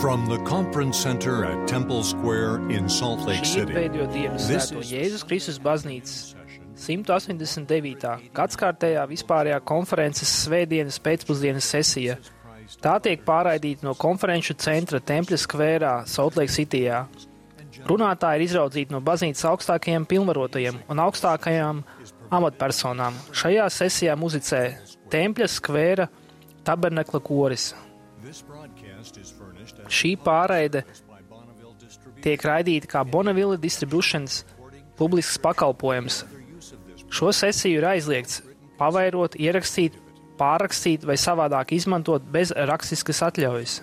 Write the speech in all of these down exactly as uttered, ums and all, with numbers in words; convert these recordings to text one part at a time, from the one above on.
From the Conference Center at Temple Square in Salt Lake Šī ir City. pēdējo dienu svēto Jēzus Kristus baznīcas simt astoņdesmit devītā gadskārtējā vispārējā konferences svētdienas pēcpusdienas sesija. Tā tiek pārraidīta no konferenču centra Tempļa skvērā Salt Lake Cityjā. Runātāji ir izraudzīti no baznīcas augstākajiem pilnvarotajiem un augstākajām amatpersonām. Šajā sesijā muzicē Tempļa skvēra tabernekla koris. Šī pārraide tiek raidīta kā Bonneville Distributions publisks pakalpojums. Šo sesiju ir aizliegts pavairot, ierakstīt, pārrakstīt vai savādāk izmantot bez rakstiskas atļaujas.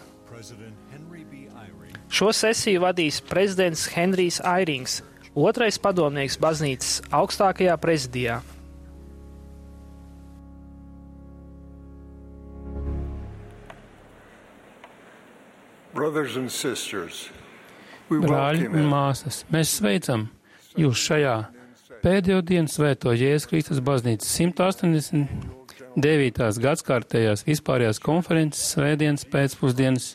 Šo sesiju vadīs prezidents Henrijs Airings, otrais padomnieks baznīcas augstākajā prezidijā. Brothers and sisters, Brāļi un māsas, mēs sveicam jūs šajā pēdējo dienu svēto Jēzus Kristus baznīcas simt astoņdesmit devītās gadskārtējās vispārējās konferences svētdienas pēcpusdienas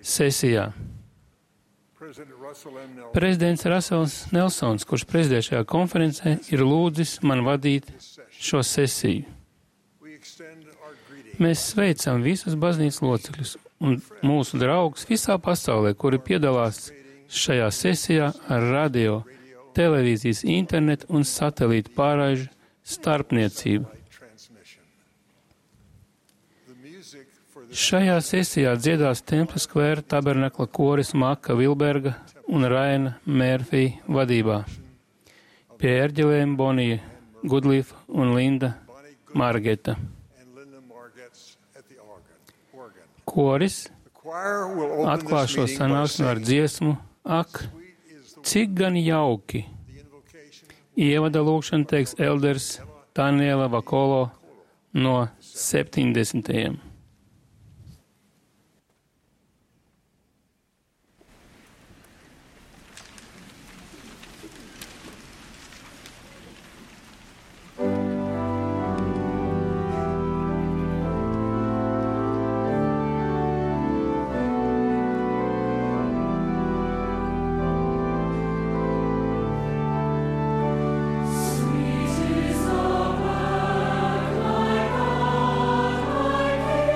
sesijā. Prezidents Rasels Nelsons, kurš prezidē šajā konferencē, ir lūdzis man vadīt šo sesiju. Mēs sveicam visus baznīcas locekļus un mūsu draugus visā pasaulē, kuri piedalās šajā sesijā ar radio, televīzijas, internetu un satelītu pārraižu starpniecību. Šajā sesijā dziedās Tempļa skvēra tabernekla koris Maka Vilberga un Raina Mērfī vadībā. Pie ērģelēm Bonija Gudlīfa un Linda Margeta. Koris atklās šo sanāksmi ar dziesmu Ak, cik gan jauki! Ievada lūkšana teiks elders Taniela Vakolo no septiņdesmitajiem. Sweet is the work, my God, my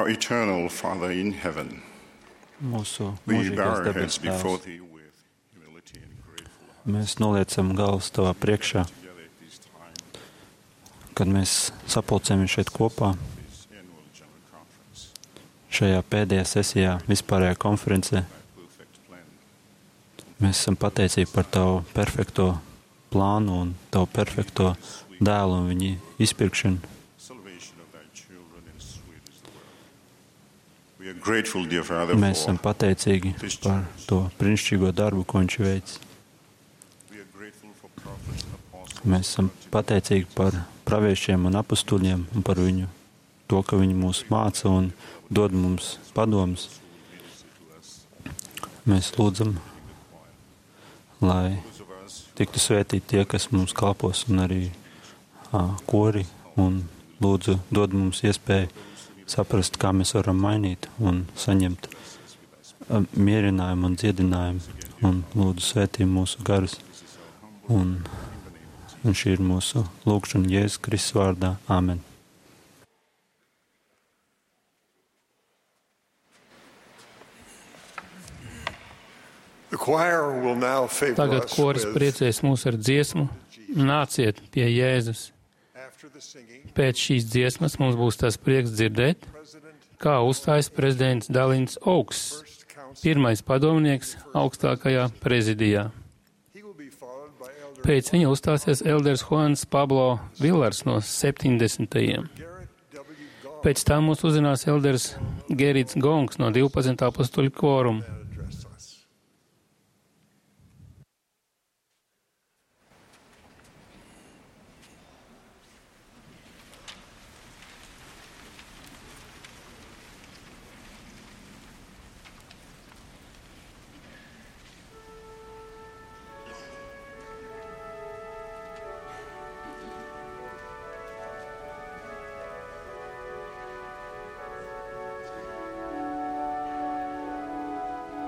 Our eternal Father in heaven, Mūsu we bow mūžīgais our heads debes before Tēvs, Thee with humility and grateful heart. mēs noliecam galvas Tavā priekšā, Together at this time, kad mēs sapulcējamies šeit kopā, this annual general conference, šajā pēdējā sesijā, vispārējā konferencē. Thy perfect plan, Mēs esam pateicīgi par Tavu perfekto plānu un Tavu perfekto dēlu un viņa izpirkšanu. salvation of Thy children in sweetest world. We are grateful, dear Father, Mēs esam for pateicīgi par to brīnišķīgo darbu, ko Viņš veic. we are grateful for prophets and apostles. Mēs esam pateicīgi par praviešiem un apustuļiem un par viņu, to, ka viņi mūs māca un dod mums padomus. Mēs lūdzam, lai Those of us tiktu svētīti tie, kas mums kalpos, un arī ā, kori, un lūdzu dod mums iespēju saprast, kā mēs varam mainīt un saņemt ā, mierinājumu un dziedinājumu, un lūdzu svētī mūsu garus. Un, un šī ir mūsu lūgšana Jēzus Kristus vārdā. Āmen. The choir will now favor Tagad us koris with, priecēs mūs ar dziesmu. Nāciet pie Jēzus. after the singing, Pēc šīs dziesmas mums būs tas prieks dzirdēt, President, kā uzstājas prezidents Dalins Augsts, First Council. pirmais padomnieks augstākajā prezidijā. He will be followed by Elder Pēc viņa uzstāsies elders Juans Pablo Villars no septiņdesmitajiem. Garrett W. Gong Pēc tam mūs uzzinās elders Gerits Gongs no divpadsmitā apostoļu kvoruma. to address us. Thank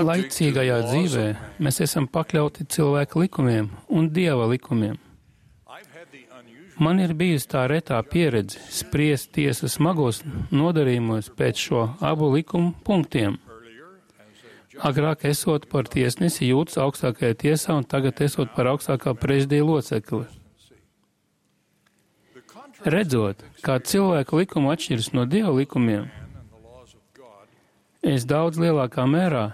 Laicīgajā dzīvē mēs esam pakļauti cilvēka likumiem un Dieva likumiem. Man ir bijusi tā retā pieredze spriest tiesas smagos nodarījumos pēc šo abu likumu punktiem. Agrāk esot par tiesnesi jūtas augstākajā tiesā un tagad esot par augstākā prezidija locekli. Redzot, kā cilvēka likuma atšķiras no Dieva likumiem, es daudz lielākā mērā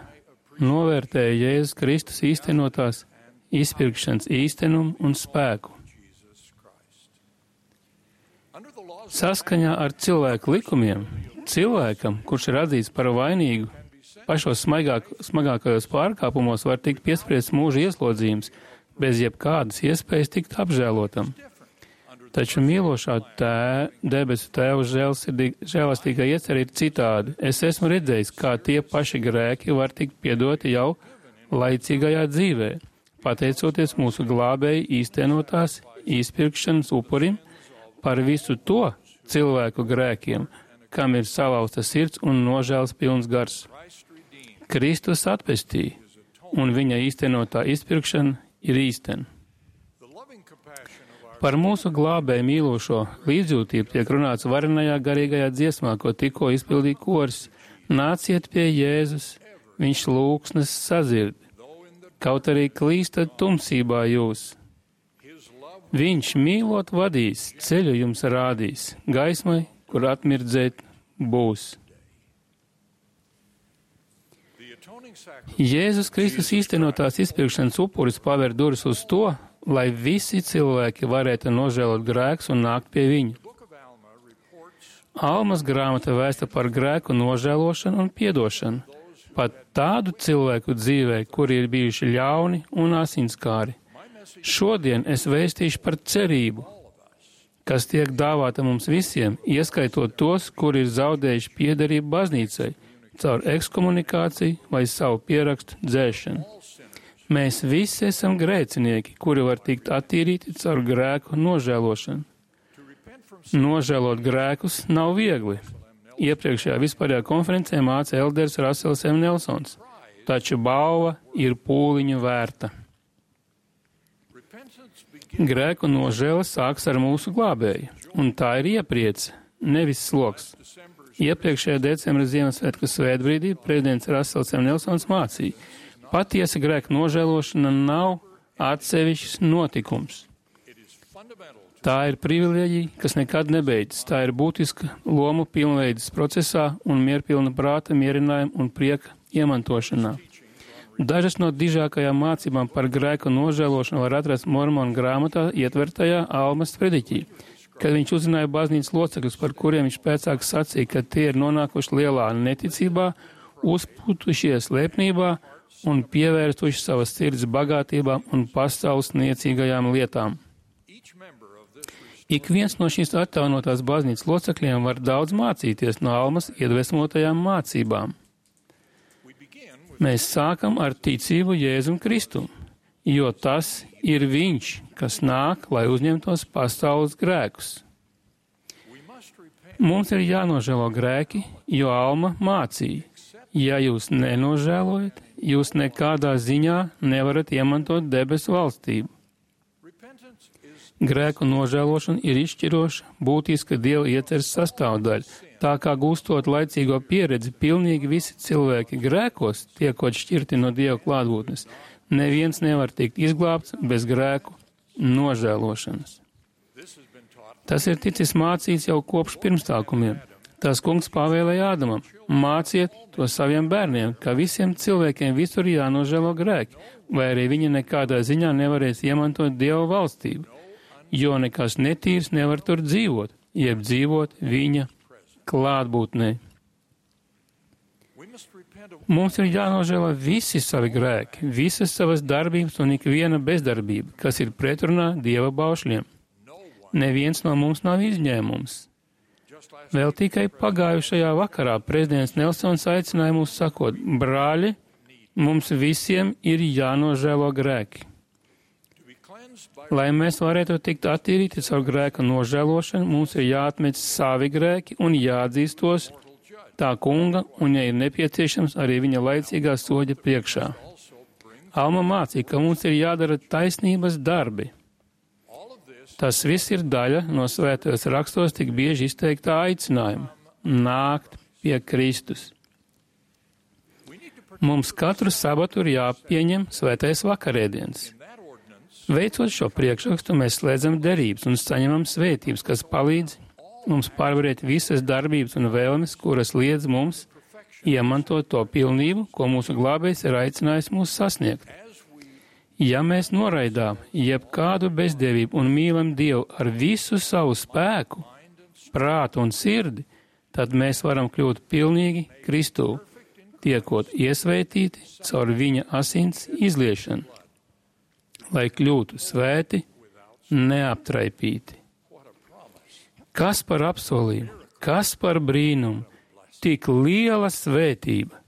novērtēju Jēzus Kristus īstenotās izpirkšanas īstenumu un spēku. Saskaņā ar cilvēku likumiem, cilvēkam, kurš ir atzīts par vainīgu, pašos smagāk, smagākajos pārkāpumos var tikt piespriests mūža ieslodzījums, bez jebkādas iespējas tikt apžēlotam. Taču mīlošā tē, debesu Tēva žēlastīgā iecer ir citādi. Es esmu redzējis, kā tie paši grēki var tikt piedoti jau laicīgajā dzīvē, pateicoties mūsu glābēji īstenotās izpirkšanas upurim par visu to cilvēku grēkiem, kam ir salauzta sirds un nožēlas pilns gars. Kristus atpestīja, un viņa īstenotā izpirkšana ir īstena. Par mūsu glābēju mīlošo līdzjūtību tiek runāts varenajā garīgajā dziesmā, ko tikko izpildīja koris. Nāciet pie Jēzus, viņš lūgsnes sadzird, kaut arī klīstat tumsībā jūs. Viņš mīlot vadīs, ceļu jums rādīs, gaismai, kur atmirdzēt būs. Jēzus Kristus īstenotās izpirkšanas upuris paver durvis uz to, lai visi cilvēki varētu nožēlot grēkus un nākt pie viņa. Almas grāmata vēsta par grēku nožēlošanu un piedošanu, pat tādu cilvēku dzīvē, kuri ir bijuši ļauni un asinskāri. Šodien es vēstīšu par cerību, kas tiek dāvāta mums visiem, ieskaitot tos, kuri ir zaudējuši piederību baznīcai, caur ekskomunikāciju vai savu pierakstu dzēšanu. Mēs visi esam grēcinieki, kuri var tikt attīrīti caur grēku nožēlošanu. Nožēlot grēkus nav viegli. Iepriekšējā vispārējā konferencē māca elders Rasels M. Nelsons, taču balva ir pūliņu vērta. Grēku nožēla sāks ar mūsu glābēju, un tā ir iepriece, nevis sloks. Iepriekšējā decembra Ziemassvētku svētbrīdī prezidents Rasels M. Nelsons mācīja, patiesa grēka nožēlošana nav atsevišķs notikums. Tā ir privilēģija, kas nekad nebeidzas. Tā ir būtiska lomu pilnveidas procesā un mierpilna prāta mierinājuma un prieka iemantošanā. Dažas no dižākajām mācībām par grēku nožēlošanu var atrast Mormonu grāmatā ietvertajā Almas prediķī, kad viņš uzrunāja baznīcas locekļus, par kuriem viņš pēcāk sacīja, ka tie ir nonākuši lielā neticībā, uzputušies lepnībā un pievērstuši savas sirds bagātībām un pasaules niecīgajām lietām. Ik viens no šīs atjaunotās baznīcas locekļiem var daudz mācīties no Almas iedvesmotajām mācībām. Mēs sākam ar ticību Jēzum Kristum, jo tas ir viņš, kas nāk, lai uzņemtos pasaules grēkus. Mums ir jānožēlo grēki, jo Alma mācīja. Ja jūs nenožēlojat, jūs nekādā ziņā nevarat iemantot debesu valstību. Grēku nožēlošana ir izšķiroša, būtiska Dieva ieceres sastāvdaļa. Tā kā gūstot laicīgo pieredzi, pilnīgi visi cilvēki grēkos, tiekot šķirti no Dieva klātbūtnes, neviens nevar tikt izglābts bez grēku nožēlošanas. Tas ir ticis mācīts jau kopš pirmstākumiem. Tas kungs pavēlēja Ādamam, māciet to saviem bērniem, ka visiem cilvēkiem visur jānožēlo grēki, vai arī viņi nekādā ziņā nevarēs iemantot Dieva valstību, jo nekas netīrs nevar tur dzīvot, jeb dzīvot viņa klātbūtnē. Mums ir jānožēlo visi savi grēki, visas savas darbības un ikviena bezdarbība, kas ir pretrunā Dieva baušļiem. Neviens no mums nav izņēmums. Vēl tikai pagājušajā vakarā prezidents Nelsons aicināja mūs sakot, brāļi, mums visiem ir jānožēlo grēki. Lai mēs varētu tikt attīrīti caur grēka nožēlošanu, mums ir jāatmet savi grēki un jāatzīst tos tā kunga un, ja ir nepieciešams, arī viņa laicīgā soļa priekšā. Alma mācīja, ka mums ir jādara taisnības darbi. Tas viss ir daļa no svētajos rakstos tik bieži izteiktā aicinājuma – nākt pie Kristus. Mums katru sabatu ir jāpieņem svētais vakarēdienas. Veicot šo priekšrakstu, mēs slēdzam derības un saņemam svētības, kas palīdz mums pārvarēt visas darbības un vēlmes, kuras liedz mums iemantot to pilnību, ko mūsu glābējs ir aicinājis mūs sasniegt. Ja mēs noraidām jebkādu bezdevību un mīlam Dievu ar visu savu spēku, prātu un sirdi, tad mēs varam kļūt pilnīgi Kristū, tiekot iesvētīti caur viņa asins izliešanu, lai kļūtu svēti, neaptraipīti. Kas par apsolījumu, kas par brīnumu, tik liela svētība.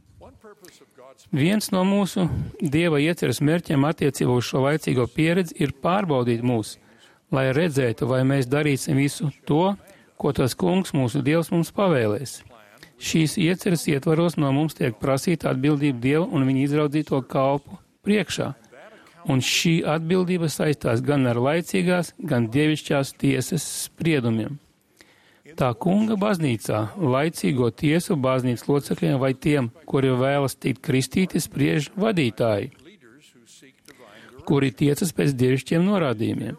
Viens no mūsu Dieva ieceres mērķiem attiecībā uz šo laicīgo pieredzi ir pārbaudīt mūs, lai redzētu, vai mēs darīsim visu to, ko tas kungs mūsu Dievs mums pavēlēs. Šīs ieceres ietvaros no mums tiek prasīta atbildība Dievu un viņa izraudzīto kalpu priekšā. Un šī atbildība saistās gan ar laicīgās, gan dievišķās tiesas spriedumiem. Tā kunga baznīcā laicīgo tiesu baznīcas locekļiem vai tiem, kuri vēlas tikt kristīti, spriež vadītāji, kuri tiecas pēc dievišķiem norādījumiem.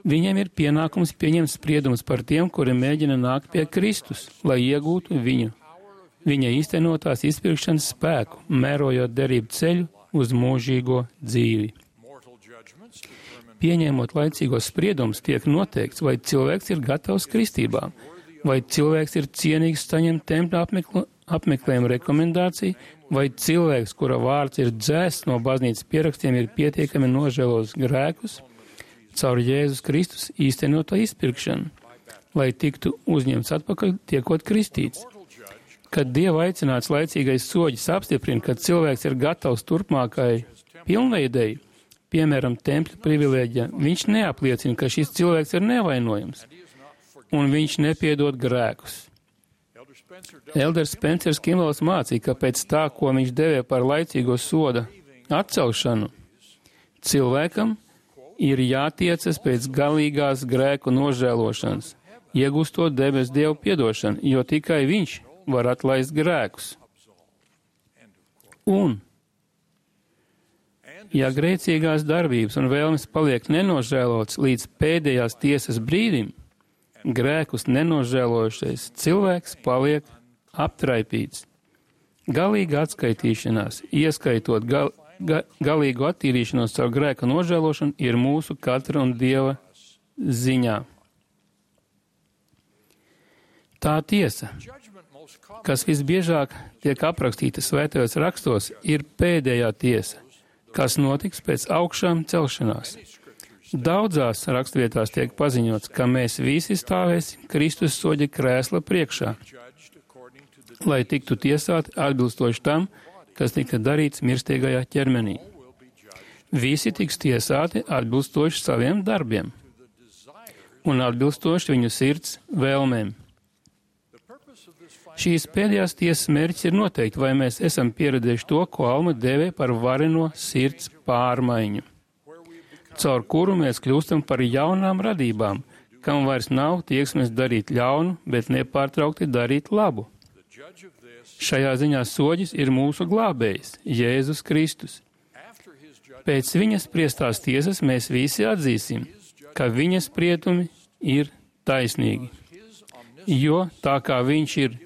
Viņiem ir pienākums pieņemt spriedumus par tiem, kuri mēģina nākt pie Kristus, lai iegūtu viņu, viņa īstenotās izpirkšanas spēku, mērojot derību ceļu uz mūžīgo dzīvi. Pieņemot laicīgos spriedumus, tiek noteikts, vai cilvēks ir gatavs kristībām, vai cilvēks ir cienīgs saņemt tempļa apmekl apmeklējumu rekomendāciju, vai cilvēks, kura vārds ir dzēsts no baznīcas pierakstiem, ir pietiekami nožēlos grēkus caur Jēzus Kristus īstenoto izpirkšanu, lai tiktu uzņemts atpakaļ, tiekot kristīts. Kad Dieva aicināts laicīgais soģis apstiprina, ka cilvēks ir gatavs turpmākai pilnveidēji, piemēram, tempļa privilēģija, viņš neapliecina, ka šis cilvēks ir nevainojams, un viņš nepiedod grēkus. Elders Spencers Kimvels mācīja, ka pēc tā, ko viņš devē par laicīgo soda atcelšanu, cilvēkam ir jātiecas pēc galīgās grēku nožēlošanas, iegūstot debes Dievu piedošanu, jo tikai viņš var atlaist grēkus. Un ja grēcīgās darbības un vēlmes paliek nenožēlots līdz pēdējās tiesas brīdim, grēkus nenožēlojušais cilvēks paliek aptraipīts. Galīga atskaitīšanās, ieskaitot gal, ga, galīgu attīrīšanos caur grēka nožēlošanu, ir mūsu katra un Dieva ziņā. Tā tiesa, kas visbiežāk tiek aprakstīta svētajos rakstos, ir pēdējā tiesa, kas notiks pēc augšām celšanās. Daudzās rakstvietās tiek paziņots, ka mēs visi stāvēsim Kristus soļa krēsla priekšā, lai tiktu tiesāti atbilstoši tam, kas tika darīts mirstīgajā ķermenī. Visi tiks tiesāti atbilstoši saviem darbiem un atbilstoši viņu sirds vēlmēm. Šīs pēdējās tiesas mērķis ir noteikti, vai mēs esam pieredzējuši to, ko Alma dēvē par vareno sirds pārmaiņu, caur kuru mēs kļūstam par jaunām radībām, kam vairs nav tieksmes darīt ļaunu, bet nepārtraukti darīt labu. Šajā ziņā soģis ir mūsu glābējs, Jēzus Kristus. Pēc viņa spriestās tiesas mēs visi atzīsim, ka viņa spriedumi ir taisnīgi, jo tā kā viņš ir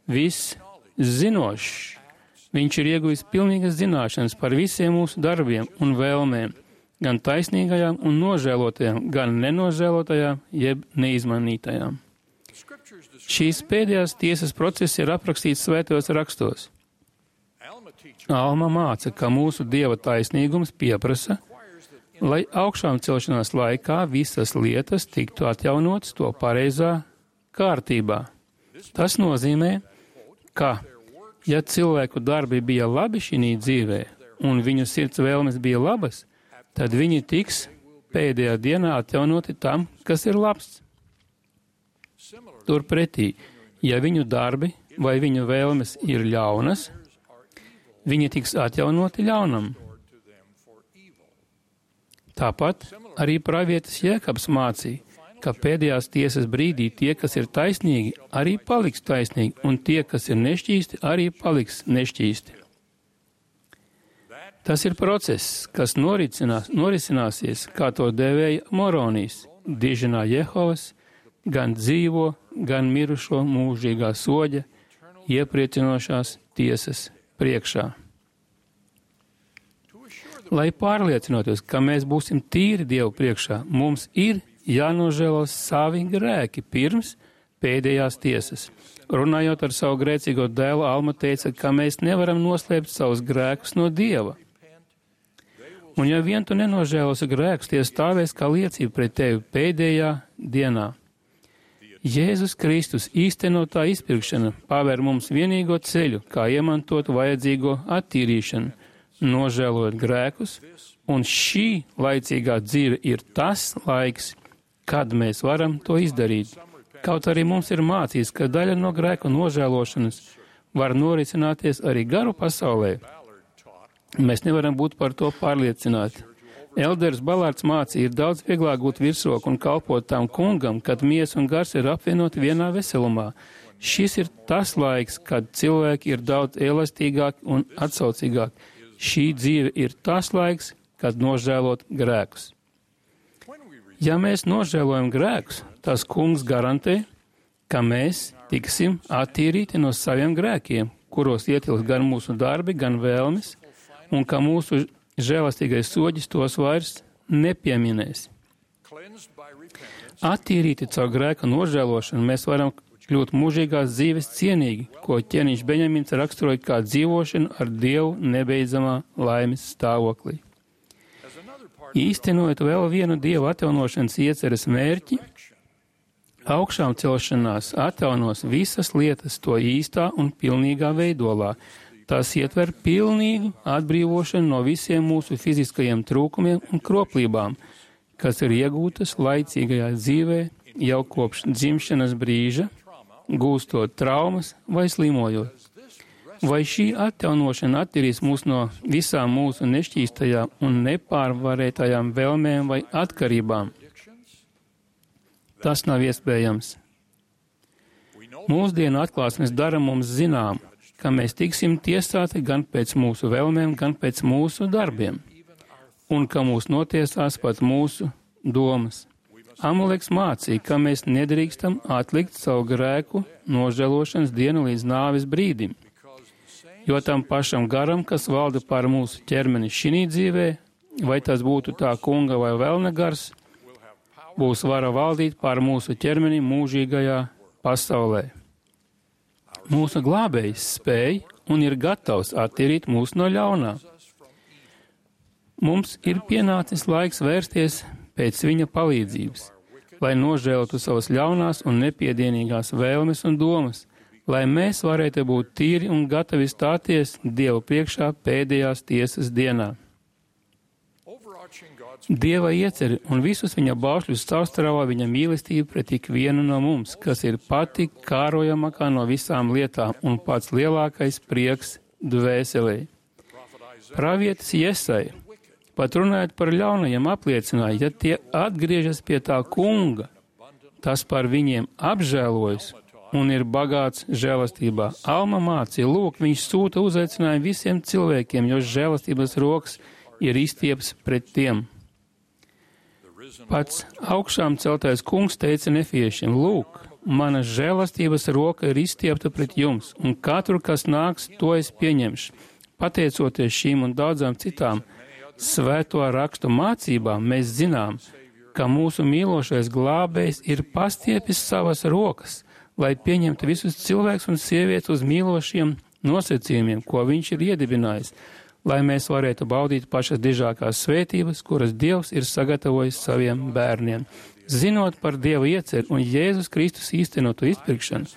viss zinošs, viņš ir ieguvis pilnīgas zināšanas par visiem mūsu darbiem un vēlmēm, gan taisnīgajām un nožēlotajām, gan nenožēlotajām, jeb neizmanītajām. Šīs pēdējās tiesas process ir aprakstīts svētajos rakstos. Alma māca, ka mūsu Dieva taisnīgums pieprasa, lai augšām celšanās laikā visas lietas tiktu atjaunotas to pareizā kārtībā. Tas nozīmē, ka, ja cilvēku darbi bija labi šī dzīvē un viņu sirds vēlmes bija labas, tad viņi tiks pēdējā dienā atjaunoti tam, kas ir labs. Turpretī, ja viņu darbi vai viņu vēlmes ir ļaunas, viņi tiks atjaunoti ļaunam. Tāpat arī pravietis Jēkabs mācīja, ka pēdējās tiesas brīdī tie, kas ir taisnīgi, arī paliks taisnīgi, un tie, kas ir nešķīsti, arī paliks nešķīsti. Tas ir process, kas norisināsies, kā to dēvēja Moronijs, diženā Jehovas, gan dzīvo, gan mirušo mūžīgā soļa, iepriecinošās tiesas priekšā. Lai pārliecinoties, ka mēs būsim tīri Dievu priekšā, mums ir jānožēlo savi grēki pirms pēdējās tiesas. Runājot ar savu grēcīgo dēlu, Alma teica, ka mēs nevaram noslēpt savus grēkus no Dieva. Un ja vien tu nenožēlosi grēkus, tie stāvēs kā liecība pret tevi pēdējā dienā. Jēzus Kristus īstenotā izpirkšana paver mums vienīgo ceļu, kā iemantot vajadzīgo attīrīšanu, nožēlojot grēkus, un šī laicīgā dzīve ir tas laiks, kad mēs varam to izdarīt. Kaut arī mums ir mācīts, ka daļa no grēku nožēlošanas var norisināties arī garu pasaulē. Mēs nevaram būt par to pārliecināti. Elders Balārds mācīja, ir daudz vieglāk būt virsroku un kalpot tām kungam, kad miesa un gars ir apvienoti vienā veselumā. Šis ir tas laiks, kad cilvēki ir daudz elastīgāki un atsaucīgāki. Šī dzīve ir tas laiks, kad nožēlot grēkus. Ja mēs nožēlojam grēkus, tas kungs garantē, ka mēs tiksim attīrīti no saviem grēkiem, kuros ietilpst gan mūsu darbi, gan vēlmes, un ka mūsu žēlastīgais soģis tos vairs nepieminēs. Attīrīti caur grēka nožēlošanu mēs varam kļūt mūžīgās dzīves cienīgi, ko ķēniņš Beņamins raksturoja kā dzīvošanu ar Dievu nebeidzamā laimes stāvoklī. Īstenojot vēl vienu Dievu atjaunošanas ieceres mērķi, augšām celšanās atjaunos visas lietas to īstā un pilnīgā veidolā. Tas ietver pilnīgu atbrīvošanu no visiem mūsu fiziskajiem trūkumiem un kroplībām, kas ir iegūtas laicīgajā dzīvē jau kopš dzimšanas brīža, gūstot traumas vai slimojot. Vai šī atjaunošana attīrīs mūs no visām mūsu nešķīstajām un nepārvarētajām vēlmēm vai atkarībām? Tas nav iespējams. Mūsdienu atklāsmes dara mums zinām, ka mēs tiksim tiesāti gan pēc mūsu vēlmēm, gan pēc mūsu darbiem, un ka mūs notiesās pat mūsu domas. Amuleks mācīja, ka mēs nedrīkstam atlikt savu grēku nožēlošanas dienu līdz nāves brīdim, jo tam pašam garam, kas valda pār mūsu ķermeni šinī dzīvē, vai tas būtu tā kunga vai velna gars, būs vara valdīt pār mūsu ķermeni mūžīgajā pasaulē. Mūsu glābējs spēj un ir gatavs attīrīt mūs no ļaunā. Mums ir pienācis laiks vērsties pēc viņa palīdzības, lai nožēlotu savas ļaunās un nepiedienīgās vēlmes un domas, lai mēs varētu būt tīri un gatavi stāties Dievu priekšā pēdējās tiesas dienā. Dieva ieceri un visus viņa baušļus caurstrāvā viņa mīlestība pret ikvienu no mums, kas ir pati kārojamākā no visām lietām un pats lielākais prieks dvēselē. Pravietis Jesai, pat runājot par ļaunajiem, apliecināja, ja tie atgriežas pie tā kunga, tas par viņiem apžēlojas un ir bagāts žēlastībā. Alma mācīja, lūk, viņš sūta uzaicinājumu visiem cilvēkiem, jo žēlastības rokas ir izstieps pret tiem. Pats augšām celtais kungs teica nefiešiem, lūk, mana žēlastības roka ir izstiepta pret jums, un katru, kas nāks, to es pieņemšu. Pateicoties šīm un daudzām citām svēto rakstu mācībām, mēs zinām, ka mūsu mīlošais glābējs ir pastiepis savas rokas, lai pieņemtu visus cilvēkus un sievietes uz mīlošiem nosacījumiem, ko viņš ir iedibinājis, lai mēs varētu baudīt pašas dižākās svētības, kuras Dievs ir sagatavojis saviem bērniem. Zinot par Dieva ieceri un Jēzus Kristus īstenotu izpirkšanu,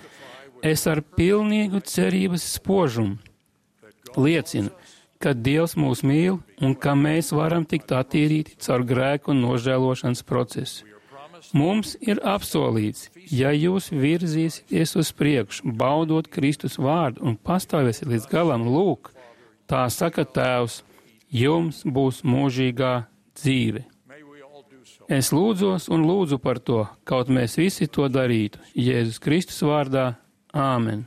es ar pilnīgu cerības spožumu liecinu, ka Dievs mūs mīl un ka mēs varam tikt attīrīti caur grēku un nožēlošanas procesu. Mums ir apsolīts, ja jūs virzīsieties uz priekšu, baudot Kristus vārdu un pastāvēsiet līdz galam, lūk, tā saka Tēvs, jums būs mūžīgā dzīve. Es lūdzos un lūdzu par to, kaut mēs visi to darītu. Jēzus Kristus vārdā. Āmen.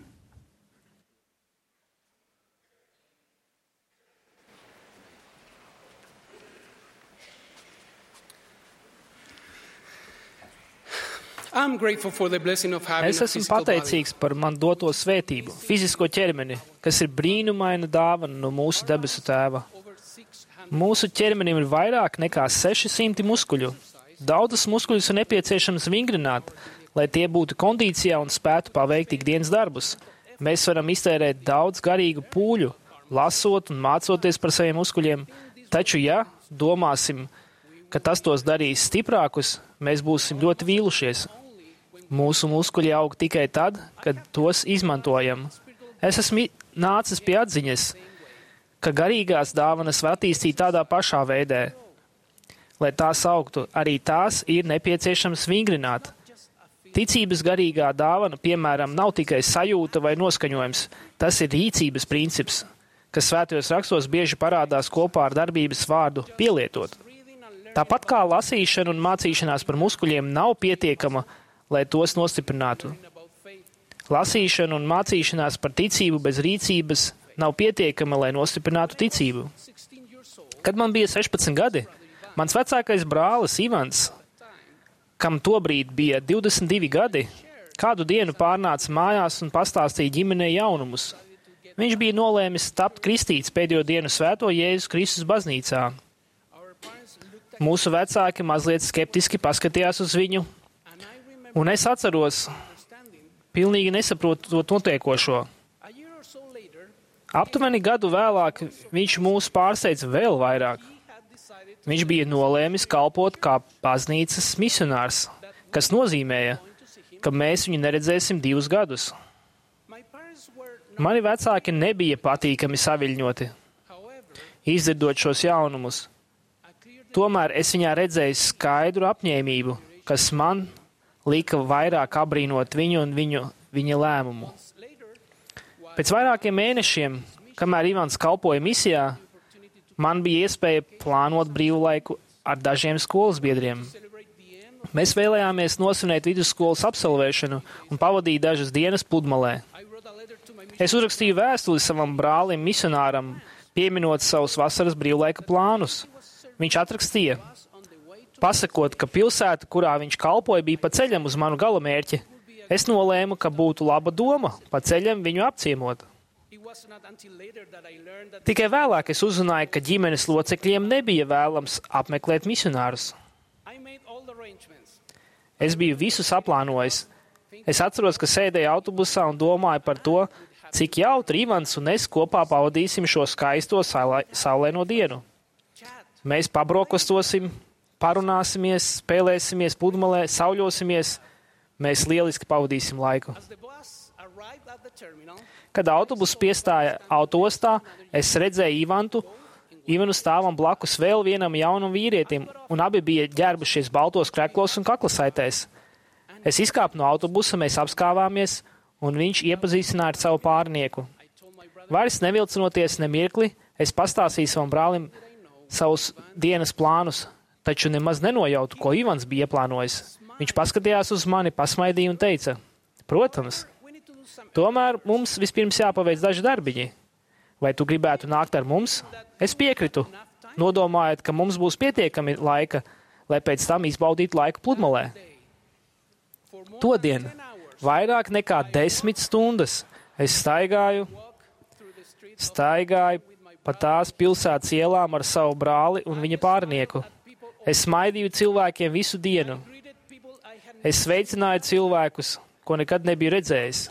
Es esmu pateicīgs par man doto svētību, fizisko ķermeni, kas ir brīnumaina dāvana no mūsu debesu Tēva. Mūsu ķermenim ir vairāk nekā seši simti muskuļu. Daudzas muskuļus ir nepieciešams vingrināt, lai tie būtu kondīcijā un spētu paveikt ikdienas darbus. Mēs varam iztērēt daudz garīgu pūļu, lasot un mācoties par saviem muskuļiem, taču, ja domāsim, ka tas tos darīs stiprākus, mēs būsim ļoti vīlušies. Mūsu muskuļi aug tikai tad, kad tos izmantojam. Es esmu nācis pie atziņas, ka garīgās dāvanas var attīstīt tādā pašā veidē. Lai tās augtu, arī tās ir nepieciešams vingrināt. Ticības garīgā dāvana, piemēram, nav tikai sajūta vai noskaņojums. Tas ir rīcības princips, kas svētajos rakstos bieži parādās kopā ar darbības vārdu pielietot. Tāpat kā lasīšana un mācīšanās par muskuļiem nav pietiekama, lai tos nostiprinātu. Lasīšana un mācīšanās par ticību bez rīcības nav pietiekama, lai nostiprinātu ticību. Kad man bija sešpadsmit gadi, mans vecākais brālis Ivans, kam tobrīd bija divdesmit divi gadi, kādu dienu pārnāca mājās un pastāstīja ģimenei jaunumus. Viņš bija nolēmis tapt kristīts pēdējo dienu svēto Jēzus Kristus baznīcā. Mūsu vecāki mazliet skeptiski paskatījās uz viņu, un es atceros, pilnīgi nesaprotu to notiekošo. Aptuveni gadu vēlāk viņš mūs pārsteidza vēl vairāk. Viņš bija nolēmis kalpot kā baznīcas misionārs, kas nozīmēja, ka mēs viņu neredzēsim divus gadus. Mani vecāki nebija patīkami saviļņoti, izdzirdot šos jaunumus. Tomēr es viņā redzēju skaidru apņēmību, kas man lika vairāk abrīnot viņu un viņu, viņa lēmumu. Pēc vairākiem mēnešiem, kamēr Ivans kalpoja misijā, man bija iespēja plānot brīvlaiku ar dažiem skolas biedriem. Mēs vēlējāmies nosvinēt vidusskolas absolvēšanu un pavadīt dažas dienas pludmalē. Es uzrakstīju vēstuli savam brālim misionāram, pieminot savus vasaras brīvlaika plānus. Viņš atrakstīja, pasakot, ka pilsēta, kurā viņš kalpoja, bija pa ceļam uz manu galamērķi. Es nolēmu, ka būtu laba doma pa ceļam viņu apciemot. Tikai vēlāk es uzzināju, ka ģimenes locekļiem nebija vēlams apmeklēt misionārus. Es biju visu saplānojis. Es atceros, ka sēdēju autobusā un domāju par to, cik jautri Ivans un es kopā pavadīsim šo skaisto saulēno dienu. Mēs pabrokostosim, parunāsimies, spēlēsimies pludmalē, sauļosimies. Mēs lieliski pavadīsim laiku. Kad autobus piestāja autostā, es redzēju Ivantu, Ivanu stāvam blakus vēl vienam jaunam vīrietim, un abi bija ģērbušies baltos kreklos un kaklasaitēs. Es izkāpu no autobusa, mēs apskāvāmies, un viņš iepazīstināja ar savu pārnieku. Vairs nevilcinoties ne mirkli, es pastāstīju savam brālim savus dienas plānus, taču nemaz nenojautu, ko Ivans bija ieplānojis. Viņš paskatījās uz mani, pasmaidīja un teica, protams, tomēr mums vispirms jāpaveic daži darbiņi. Vai tu gribētu nākt ar mums? Es piekritu, nodomājot, ka mums būs pietiekami laika, lai pēc tam izbaudītu laiku pludmalē. Todien, vairāk nekā desmit stundas, es staigāju, staigāju pa tās pilsētas ielām ar savu brāli un viņa pārnieku. Es smaidīju cilvēkiem visu dienu. Es sveicināju cilvēkus, ko nekad nebiju redzējis.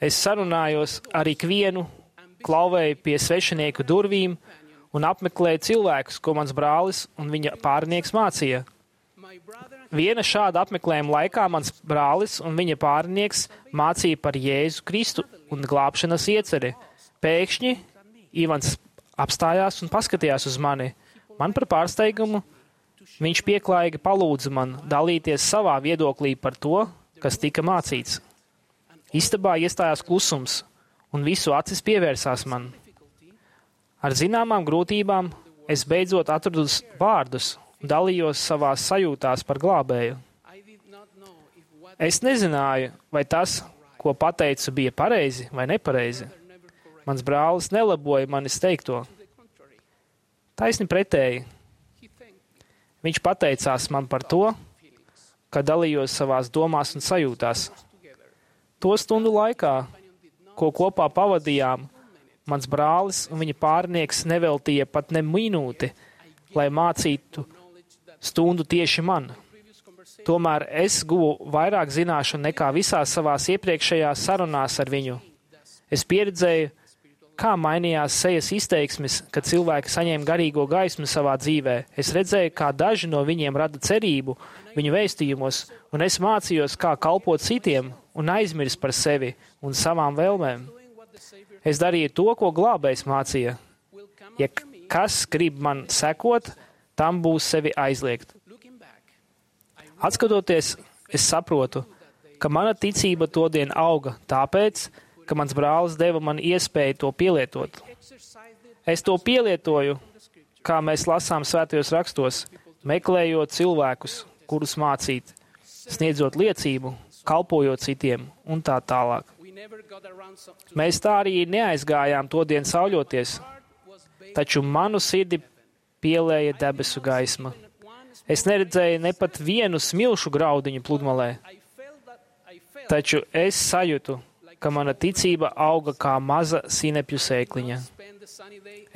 Es sarunājos ar ikvienu, klauvēju pie svešinieku durvīm un apmeklēju cilvēkus, ko mans brālis un viņa pārnieks mācīja. Viena šāda apmeklējuma laikā mans brālis un viņa pārnieks mācīja par Jēzu Kristu un glābšanas ieceri. Pēkšņi Ivans apstājās un paskatījās uz mani. Man par pārsteigumu Viņš pieklājīgi palūdza man dalīties savā viedoklī par to, kas tika mācīts. Istabā iestājās klusums, un visu acis pievērsās man. Ar zināmām grūtībām es beidzot atradu vārdus un dalījos savās sajūtās par glābēju. Es nezināju, vai tas, ko pateicu, bija pareizi vai nepareizi. Mans brālis nelaboja manis teikto. Taisni pretēji. Viņš pateicās man par to, ka dalījos savās domās un sajūtās. To stundu laikā, ko kopā pavadījām, mans brālis un viņa pārnieks neveltīja pat ne minūti, lai mācītu stundu tieši man. Tomēr es guvu vairāk zināšanu nekā visās savās iepriekšējās sarunās ar viņu. Es pieredzēju, kā mainījās sejas izteiksmes, kad cilvēki saņēma garīgo gaismu savā dzīvē. Es redzēju, kā daži no viņiem rada cerību viņu vēstījumos, un es mācījos, kā kalpot citiem un aizmirst par sevi un savām vēlmēm. Es darīju to, ko glābējs mācīja. Ja kas grib man sekot, tam būs sevi aizliegt. Atskatoties, es saprotu, ka mana ticība todien auga tāpēc, ka mans brālis deva man iespēju to pielietot. Es to pielietoju, kā mēs lasām svētajos rakstos, meklējot cilvēkus, kurus mācīt, sniedzot liecību, kalpojot citiem un tā tālāk. Mēs tā arī neaizgājām to dienu sauļoties, taču manu sirdi pielēja debesu gaisma. Es neredzēju ne pat vienu smilšu graudiņu pludmalē, taču es sajūtu, ka mana ticība auga kā maza sinepju sēkliņa.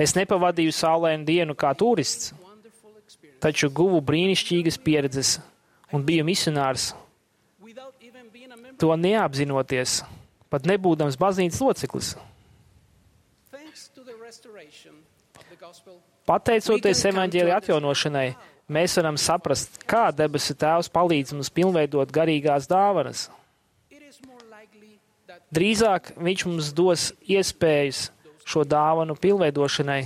Es nepavadīju saulainu dienu kā turists, taču guvu brīnišķīgas pieredzes un biju misionārs, to neapzinoties, pat nebūdams baznīcas loceklis. Pateicoties evaņģēlija atjaunošanai, mēs varam saprast, kā debesu Tēvs palīdz mums pilnveidot garīgās dāvanas. Drīzāk viņš mums dos iespējas šo dāvanu pilnveidošanai,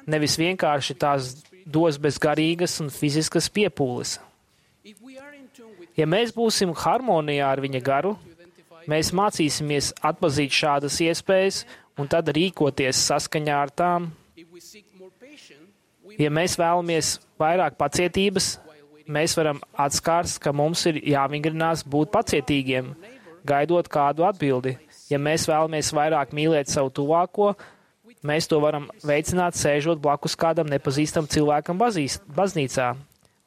nevis vienkārši tās dos bez garīgas un fiziskas piepūles. Ja mēs būsim harmonijā ar viņa garu, mēs mācīsimies atpazīt šādas iespējas un tad rīkoties saskaņā ar tām. Ja mēs vēlamies vairāk pacietības, mēs varam atskārst, ka mums ir jāvingrinās būt pacietīgiem, gaidot kādu atbildi. Ja mēs vēlamies vairāk mīlēt savu tuvāko, mēs to varam veicināt sēžot blakus kādam nepazīstam cilvēkam bazīs, baznīcā.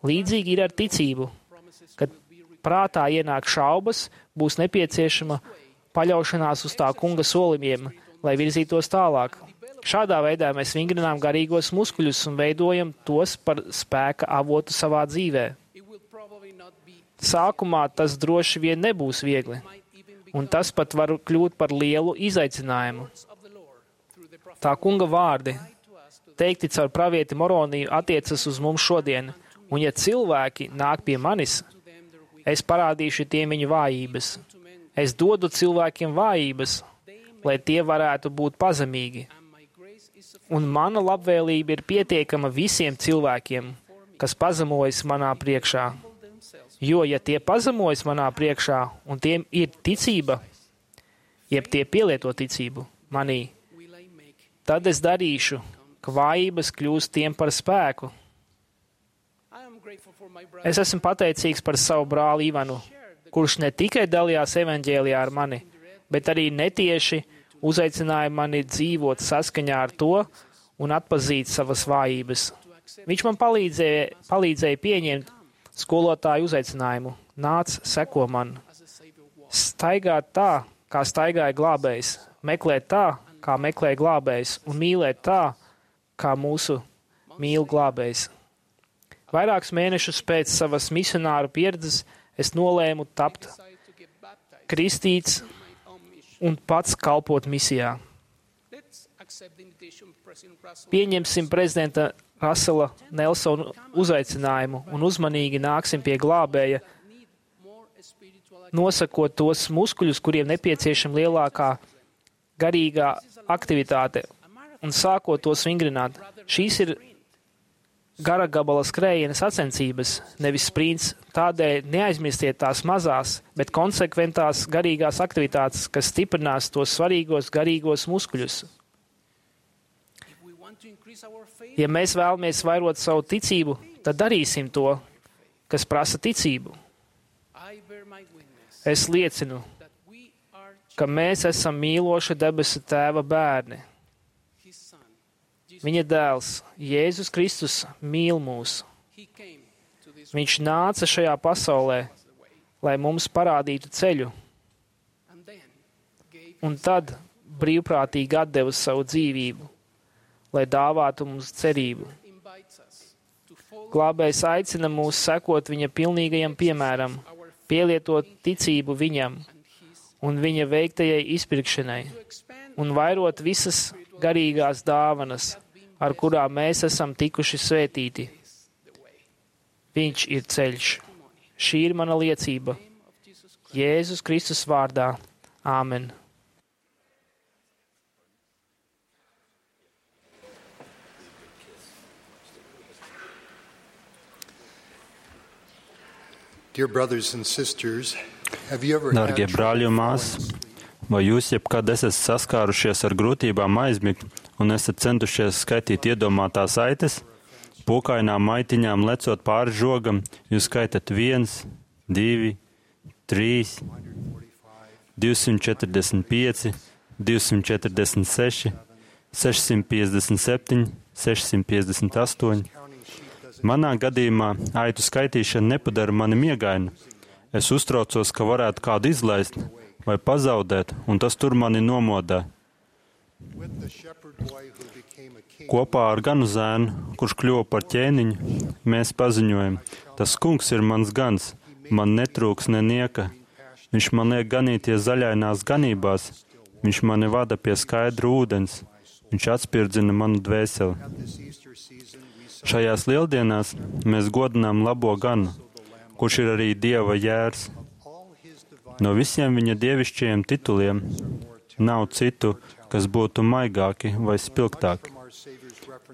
Līdzīgi ir ar ticību. Kad prātā ienāk šaubas, būs nepieciešama paļaušanās uz tā kunga solījumiem, lai virzītos tālāk. Šādā veidā mēs vingrinām garīgos muskuļus un veidojam tos par spēka avotu savā dzīvē. Sākumā tas droši vien nebūs viegli, un tas pat var kļūt par lielu izaicinājumu. Tā kunga vārdi, teikti caur pravieti Moroniju, attiecas uz mums šodien, un ja cilvēki nāk pie manis, es parādīšu tiem viņu vājības. Es dodu cilvēkiem vājības, lai tie varētu būt pazemīgi. Un mana labvēlība ir pietiekama visiem cilvēkiem, kas pazemojas manā priekšā. Jo, ja tie pazemojas manā priekšā un tiem ir ticība, jeb tie pielieto ticību manī, tad es darīšu, ka vājības kļūst tiem par spēku. Es esmu pateicīgs par savu brāli Ivanu, kurš ne tikai dalījās evaņģēlijā ar mani, bet arī netieši uzaicināja mani dzīvot saskaņā ar to un atpazīt savas vājības. Viņš man palīdzēja, palīdzēja pieņemt skolotāju uzaicinājumu. Nāc, seko man. Staigāt tā, kā staigāja glābējs, meklēt tā, kā meklē glābējs, un mīlēt tā, kā mūsu mīl glābējs. Vairākus mēnešus pēc savas misionāru pieredzes es nolēmu tapt kristīts un pats kalpot misijā. Pieņemsim prezidenta Rasela Nelsona uzaicinājumu un uzmanīgi nāksim pie glābēja, nosakot tos muskuļus, kuriem nepieciešama lielākā garīgā aktivitāte un sākot tos vingrināt. Šīs ir gara gabala skrējiena sacensības, nevis sprints, tādēļ neaizmirstiet tās mazās, bet konsekventās garīgās aktivitātes, kas stiprinās tos svarīgos garīgos muskuļus. Ja mēs vēlamies vairot savu ticību, tad darīsim to, kas prasa ticību. Es liecinu, ka mēs esam mīloša debesu Tēva bērni. Viņa dēls, Jēzus Kristus, mīl mūs. Viņš nāca šajā pasaulē, lai mums parādītu ceļu, un tad brīvprātīgi atdeva savu dzīvību, lai dāvātu mums cerību. Glābējs aicina mūs sekot viņa pilnīgajam piemēram, pielietot ticību viņam un viņa veiktajai izpirkšanai, un vairot visas garīgās dāvanas, ar kurām mēs esam tikuši svētīti. Viņš ir ceļš. Šī ir mana liecība. Jēzus Kristus vārdā. Āmen. Dear brothers and sisters, have you ever Dārgie brāļi un māsas, vai jūs jebkad esat saskārušies ar grūtībām aizmigt un esat centušies skaitīt iedomātās aitas? Pokainām maitiņām lecot pāri žogam, jūs skaitat viens, divi, trīs, divsimt četrdesmit pieci, divsimt četrdesmit seši, sešsimt piecdesmit septiņi, sešsimt piecdesmit astoņi. Manā gadījumā aitu skaitīšana nepadara mani miegainu. Es uztraucos, ka varētu kādu izlaist vai pazaudēt, un tas tur mani nomodā. Kopā ar ganu zēnu, kurš kļuva par ķēniņu, mēs paziņojam: tas kungs ir mans gans, man netrūks nenieka. Viņš man liek ganīties zaļainās ganībās, viņš mani vada pie skaidra ūdens, viņš atspirdzina manu dvēseli. Šajās lieldienās mēs godinām labo ganu, kurš ir arī Dieva jērs. No visiem viņa dievišķajiem tituliem nav citu, kas būtu maigāki vai spilgtāki.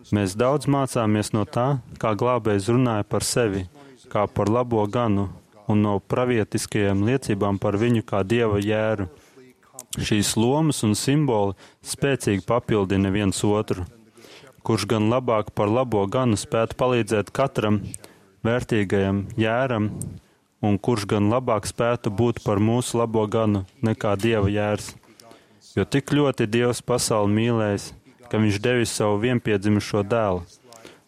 Mēs daudz mācāmies no tā, kā glābējs runāja par sevi, kā par labo ganu, un no pravietiskajām liecībām par viņu kā Dieva jēru. Šīs lomas un simboli spēcīgi papildina viens otru. Kurš gan labāk par labo ganu spētu palīdzēt katram vērtīgajam jēram, un kurš gan labāk spētu būt par mūsu labo ganu nekā Dieva jērs. Jo tik ļoti Dievs pasauli mīlējis, ka viņš devis savu vienpiedzimušo dēlu,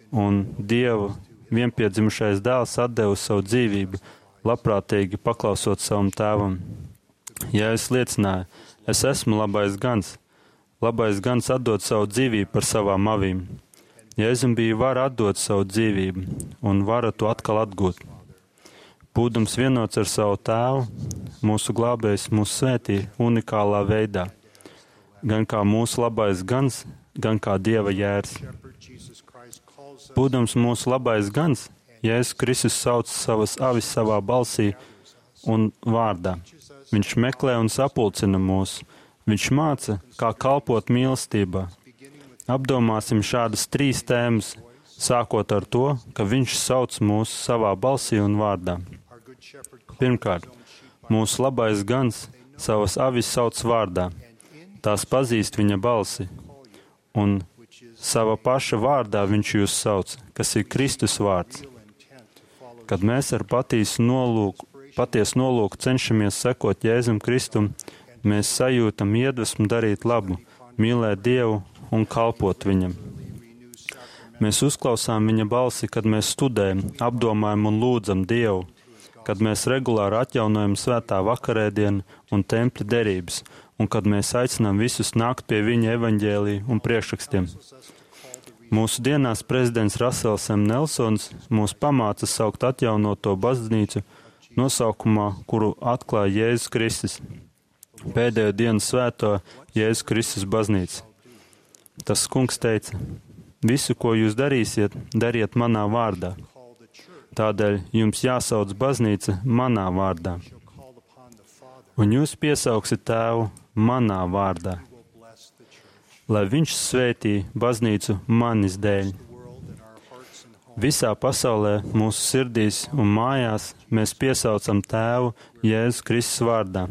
un Dievu vienpiedzimušais dēls atdeva savu dzīvību, labprātīgi paklausot savam tēvam. Ja es liecināju, es esmu labais gans, labais gans atdod savu dzīvību par savām avīm. Jēzum bija vara atdot savu dzīvību, un vara to atkal atgūt. Būdams vienots ar savu tēvu, mūsu glābējs mūs svētī unikālā veidā, gan kā mūsu labais gans, gan kā Dieva jērs. Būdams mūsu labais gans, Jēzus Kristus sauc savas avis savā balsī un vārdā. Viņš meklē un sapulcina mūs. Viņš māca, kā kalpot mīlestībā. Apdomāsim šādas trīs tēmas, sākot ar to, ka viņš sauc mūs savā balsī un vārdā. Pirmkārt, mūsu labais gans savas avis sauc vārdā. Tās pazīst viņa balsi, un sava paša vārdā viņš jūs sauc, kas ir Kristus vārds. Kad mēs ar patiesu nolūku, patiesu nolūku cenšamies sekot Jēzum Kristum, mēs sajūtam iedvesmu darīt labu, mīlēt Dievu un kalpot viņam. Mēs uzklausām viņa balsi, kad mēs studējam, apdomājam un lūdzam Dievu, kad mēs regulāri atjaunojam svētā vakarēdienu un tempļa derības, un kad mēs aicinām visus nākt pie viņa evaņģēlija un priekšrakstiem. Mūsu dienās prezidents Rasels M. Nelsons mūs pamāca saukt atjaunoto baznīcu nosaukumā, kuru atklāja Jēzus Kristus. Pēdējo dienu svēto Jēzus Kristus baznīca. Tas kungs teica: visu, ko jūs darīsiet, dariet manā vārdā. Tādēļ jums jāsauc baznīca manā vārdā. Un jūs piesaugsiet tēvu manā vārdā, lai viņš svētī baznīcu manis dēļ. Visā pasaulē, mūsu sirdīs un mājās mēs piesaucam Tēvu Jēzus Kristus vārdā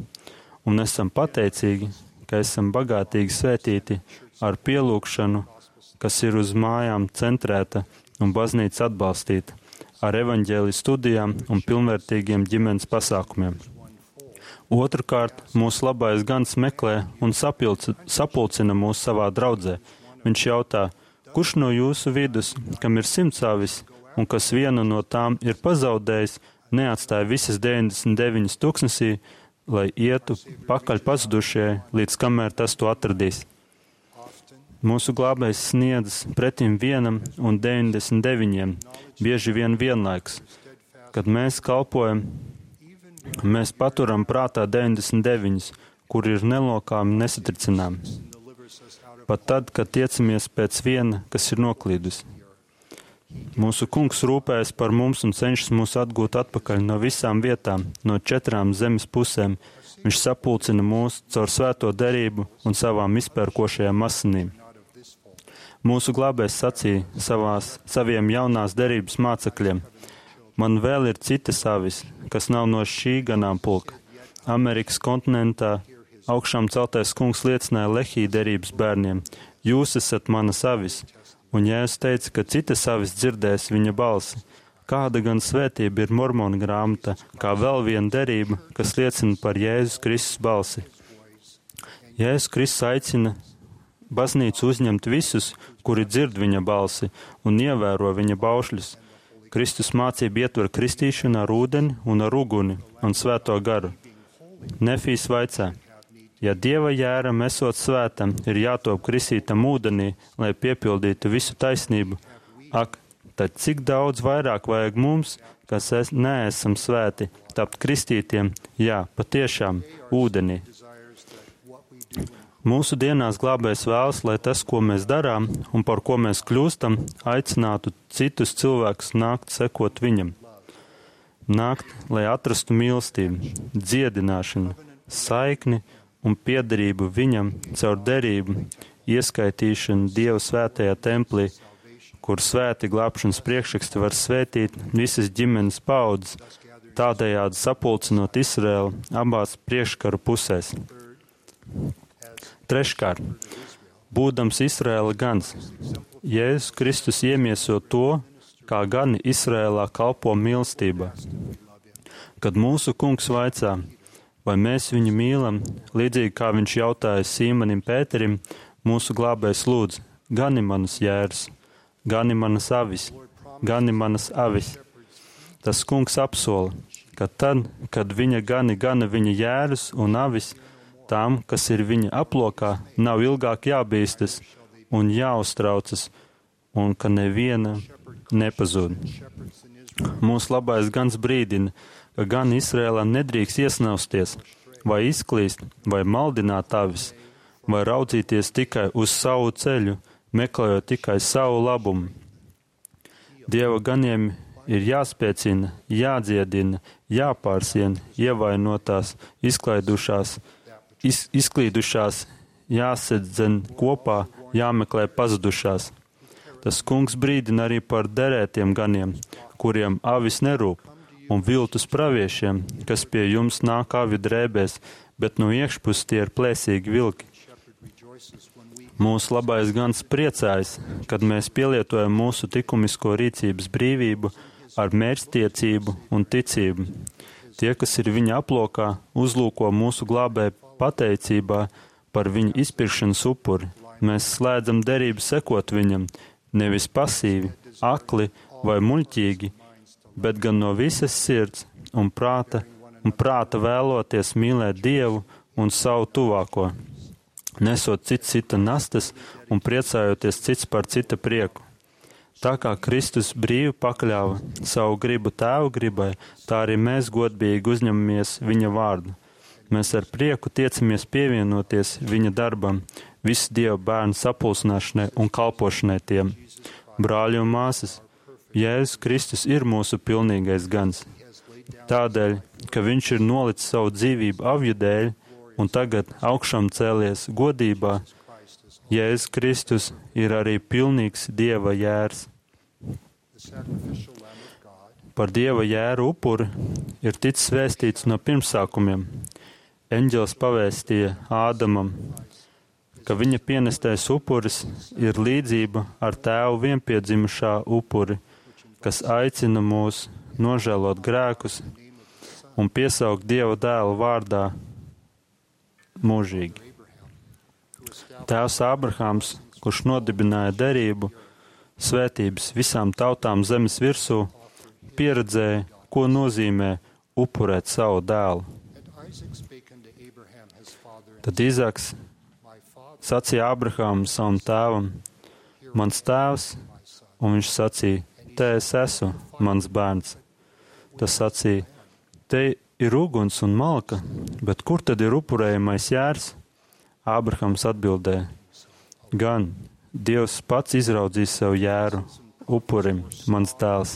un esam pateicīgi, ka esam bagātīgi svētīti ar pielūgšanu, kas ir uz mājām centrēta un baznīca atbalstīta, ar evaņģēliju studijām un pilnvērtīgiem ģimenes pasākumiem. Otrkārt, mūsu labais gans meklē un sapilc, sapulcina mūs savā draudzē. Viņš jautā, kurš no jūsu vidus, kam ir simts avis, un kas vienu no tām ir pazaudējis, neatstāja visas deviņdesmit deviņas tuksnesī, lai ietu pakaļ pazudušie, līdz kamēr tas to atradīs. Mūsu glābējs sniedzas pretim vienam un deviņdesmit deviņiem, bieži vien vienlaiks. Kad mēs kalpojam, mēs paturam prātā deviņdesmit deviņus, kur ir nelokāmi nesatricinām. Pat tad, kad tiecamies pēc viena, kas ir noklīdus. Mūsu kungs rūpējas par mums un cenšas mūs atgūt atpakaļ no visām vietām, no četrām zemes pusēm. Viņš sapulcina mūs caur svēto derību un savām izpērkošajām asinīm. Mūsu glābējs sacīja savās, saviem jaunās derības mācekļiem, man vēl ir citas avis, kas nav no šī ganāmpulka. Amerikas kontinentā augšām celtais kungs liecināja Lehī derības bērniem, jūs esat manas avis, un Jēzus teica, ka citas avis dzirdēs viņa balsi. Kāda gan svētība ir Mormona grāmata, kā vēl viena derība, kas liecina par Jēzus Kristus balsi. Jēzus Kristus aicina baznīcu uzņemt visus, kuri dzird viņa balsi un ievēro viņa baušļus. Kristus mācība ietver kristīšanu ar ūdeni un ar uguni un svēto garu. Nefīs vaicā, ja Dieva jēram esot svētam, ir jātop kristītam ūdenī, lai piepildītu visu taisnību. Ak, tad cik daudz vairāk vajag mums, kas es, neesam svēti, tapt kristītiem, jā, patiešām, ūdenī. Mūsu dienās glābējs vēlas, lai tas, ko mēs darām un par ko mēs kļūstam, aicinātu citus cilvēkus nākt sekot viņam. Nākt, lai atrastu mīlestību, dziedināšanu, saikni un piederību viņam caur derību, ieskaitīšanu Dieva svētajā templī, kur svēti glābšanas priekšraksti var svētīt visas ģimenes paudzes, tādējādi sapulcinot Izraēlu abās priekškaru pusēs. Treškārt, būdams Izraēla gans, Jēzus Kristus iemieso to, kā gani Izraēlā kalpo mīlestībā. Kad mūsu kungs vaicā, vai mēs viņu mīlam, līdzīgi kā viņš jautāja Sīmanim Pēterim, mūsu glābējs lūdz, gani manas jēras, gani manas avis, gani manas avis. Tas kungs apsola, ka tad, kad viņa gani gana viņa jēras un avis, tām, kas ir viņa aplokā, nav ilgāk jābīstas un jāuztraucas, un ka neviena nepazūd. Mūsu labais gans brīdina, ka gan Izrēlā nedrīkst iesnausties, vai izklīst, vai maldināt avis, vai raudzīties tikai uz savu ceļu, meklējot tikai savu labumu. Dieva ganiem ir jāspēcina, jādziedina, jāpārsien, ievainotās, izklaidušās, Iz, izklīdušās, jāsedzen kopā, jāmeklē pazudušās. Tas kungs brīdina arī par derētiem ganiem, kuriem avis nerūp, un viltus praviešiem, kas pie jums nāk avi drēbēs, bet no iekšpus tie ir plēsīgi vilki. Mūsu labais gans priecājas, kad mēs pielietojam mūsu likumisko rīcības brīvību ar mērķtiecību un ticību. Tie, kas ir viņa aplokā, uzlūko mūsu glābēju pateicībā par viņa izpirkšanas upuri. Mēs slēdzam derību sekot viņam, nevis pasīvi, akli vai muļķīgi, bet gan no visas sirds un prāta, un prāta vēloties mīlēt Dievu un savu tuvāko, nesot cits cita nastas un priecājoties cits par cita prieku. Tā kā Kristus brīvi pakļāva savu gribu Tēva gribai, tā arī mēs godīgi uzņemamies viņa vārdu. Mēs ar prieku tiecamies pievienoties viņa darbam, visu Dieva bērnu sapulcināšanai un kalpošanai tiem. Brāļi un māsas, Jēzus Kristus ir mūsu pilnīgais gans. Tādēļ, ka viņš ir nolicis savu dzīvību avju dēļ un tagad augšām cēlies godībā, Jēzus Kristus ir arī pilnīgs Dieva jērs. Par Dieva jēru upuri ir ticis vēstīts no pirmsākumiem. Eņģelis pavēstīja Ādamam, ka viņa pienestais upuris ir līdzība ar tēvu vienpiedzimušā upuri, kas aicina mūs nožēlot grēkus un piesaukt Dieva dēla vārdā mūžīgi. Tēvs Ābrahāms, kurš nodibināja derību, svētības visām tautām zemes virsū, pieredzēja, ko nozīmē upurēt savu dēlu. Tad Izaks sacīja Ābrahāmam savam tēvam, mans tēvs, un viņš sacīja, te es esmu, mans bērns. Tas sacīja, te ir uguns un malka, bet kur tad ir upurējamais jērs? Ābrahāms atbildēja, gan Dievs pats izraudzīs sev jēru, upurim, mans dēls.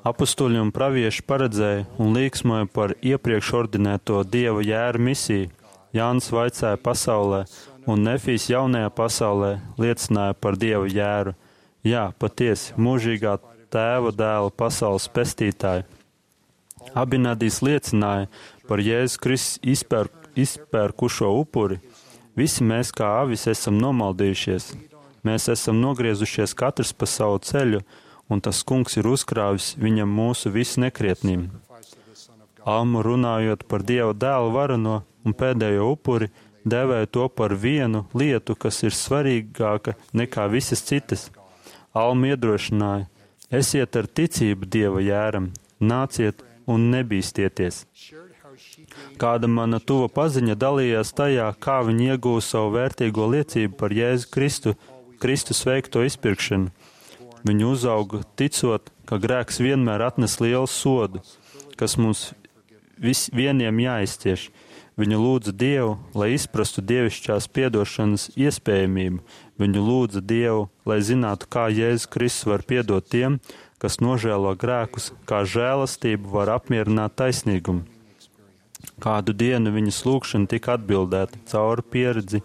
Apostoļi un pravieši paredzēja un līksmoja par iepriekš ordinēto Dieva jēru misiju. Jānis vaicāja pasaulē, un Nefijs jaunajā pasaulē liecināja par Dieva jēru. Jā, patiesi, mūžīgā tēva dēla pasaules pestītāju. Abinadijs liecināja par Jēzus Kristus izpērk, izpērkušo upuri. Visi mēs kā avis esam nomaldījušies. Mēs esam nogriezušies katrs pa savu ceļu, un tas kungs ir uzkrāvis viņam mūsu visu nekrietnību. Alma runājot par Dieva dēlu varano un pēdējo upuri, devēja to par vienu lietu, kas ir svarīgāka nekā visas citas. Alma iedrošināja, esiet ar ticību Dieva jēram, nāciet un nebīstieties. Kāda mana tuva paziņa dalījās tajā, kā viņa iegūst savu vērtīgo liecību par Jēzu Kristu, Kristus veikto izpirkšanu. Viņa uzauga ticot, ka grēks vienmēr atnes lielu sodu, kas mums vis, vieniem jāizcieš. Viņa lūdza Dievu, lai izprastu dievišķās piedošanas iespējamību. Viņa lūdza Dievu, lai zinātu, kā Jēzus Kristus var piedot tiem, kas nožēlo grēkus, kā žēlastība var apmierināt taisnīgumu. Kādu dienu viņas lūgšana tika atbildēta caur pieredzi,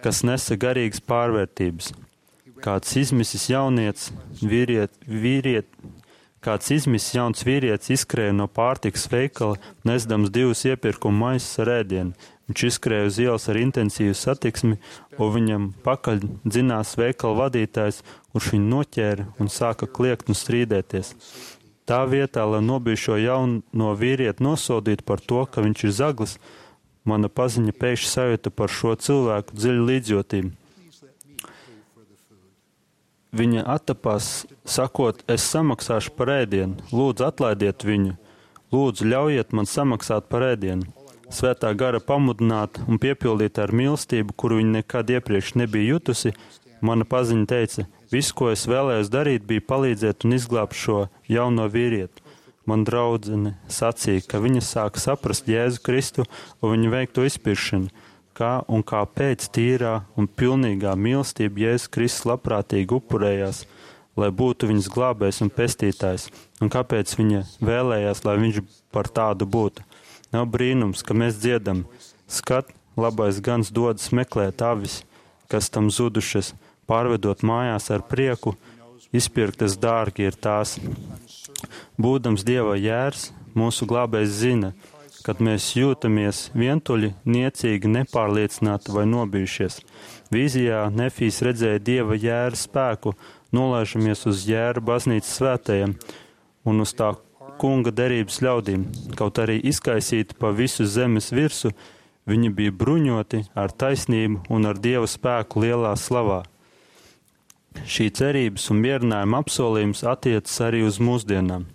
kas nesa garīgas pārvērtības. Kāds izmisis jaunietis, vīriet, vīriet, kāds izmisis jauns vīrietis izskrēja no pārtikas veikala, nesdams divus iepirkuma maisus ar ēdienu. Viņš izskrēja uz ielas ar intensīvu satiksmi, un viņam pakaļ dzinās veikala vadītājs, kurš viņu noķēra un sāka kliegt un strīdēties. Tā vietā, lai nobijušo jauno vīrieti nosodītu par to, ka viņš ir zaglis, mana paziņa pēkšņi sajūta par šo cilvēku dziļu līdzjūtību. Viņa attapās, sakot, es samaksāšu par ēdienu, lūdzu atlaidiet viņu, lūdzu ļaujiet man samaksāt par ēdienu. Svētā gara pamudināta un piepildīta ar mīlestību, kuru viņa nekad iepriekš nebija jutusi, mana paziņa teica, viss, ko es vēlējos darīt, bija palīdzēt un izglābt šo jauno vīrieti. Man draudzene sacīja, ka viņa sāka saprast Jēzu Kristu un viņa veikto izpirkšanu, kā un kāpēc tīrā un pilnīgā mīlestība Jēzus Kristus labprātīgi upurējās, lai būtu viņas glābējs un pestītājs, un kāpēc viņa vēlējās, lai viņš par tādu būtu. Nav brīnums, ka mēs dziedam, skat, labais gans dodas meklēt avis, kas tam zudušas, pārvedot mājās ar prieku, izpirktas dārgi ir tās. Būdams Dieva jērs, mūsu glābējs zina, kad mēs jūtamies vientuļi, niecīgi, nepārliecināti vai nobijušies. Vīzijā Nefijs redzēja Dieva jēra spēku, nolaižamies uz jēra baznīcas svētajiem un uz tā kunga derības ļaudīm, kaut arī izkaisīti pa visu zemes virsu, viņi bija bruņoti ar taisnību un ar Dieva spēku lielā slavā. Šī cerības un mierinājuma apsolījums attiecas arī uz mūsdienām.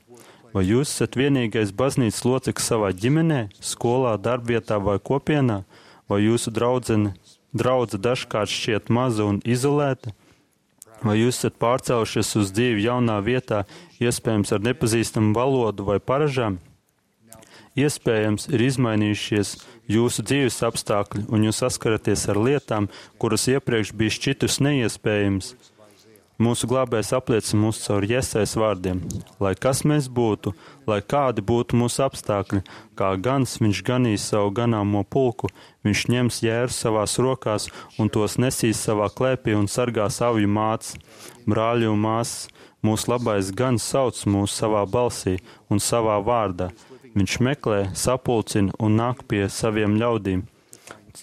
Vai jūs esat vienīgais baznīcas loceklis savā ģimenē, skolā, darbvietā vai kopienā, vai jūsu draudzene, draudze dažkārt šķiet maza un izolēta? Vai jūs esat pārcēlušies uz dzīvi jaunā vietā, iespējams ar nepazīstamu valodu vai paražām? Iespējams, ir izmainījušies jūsu dzīves apstākļi, un jūs saskaraties ar lietām, kuras iepriekš bija šķitus neiespējams. Mūsu glābējs apliecina mūs caur Iesajas vārdiem. Lai kas mēs būtu, lai kādi būtu mūsu apstākļi, kā gans viņš ganīs savu ganāmo pulku, viņš ņems jērus savās rokās un tos nesīs savā klēpī un sargās avju mātes. Brāļi un māsas, mūsu labais gans sauc mūs savā balsī un savā vārdā. Viņš meklē, sapulcina un nāk pie saviem ļaudīm.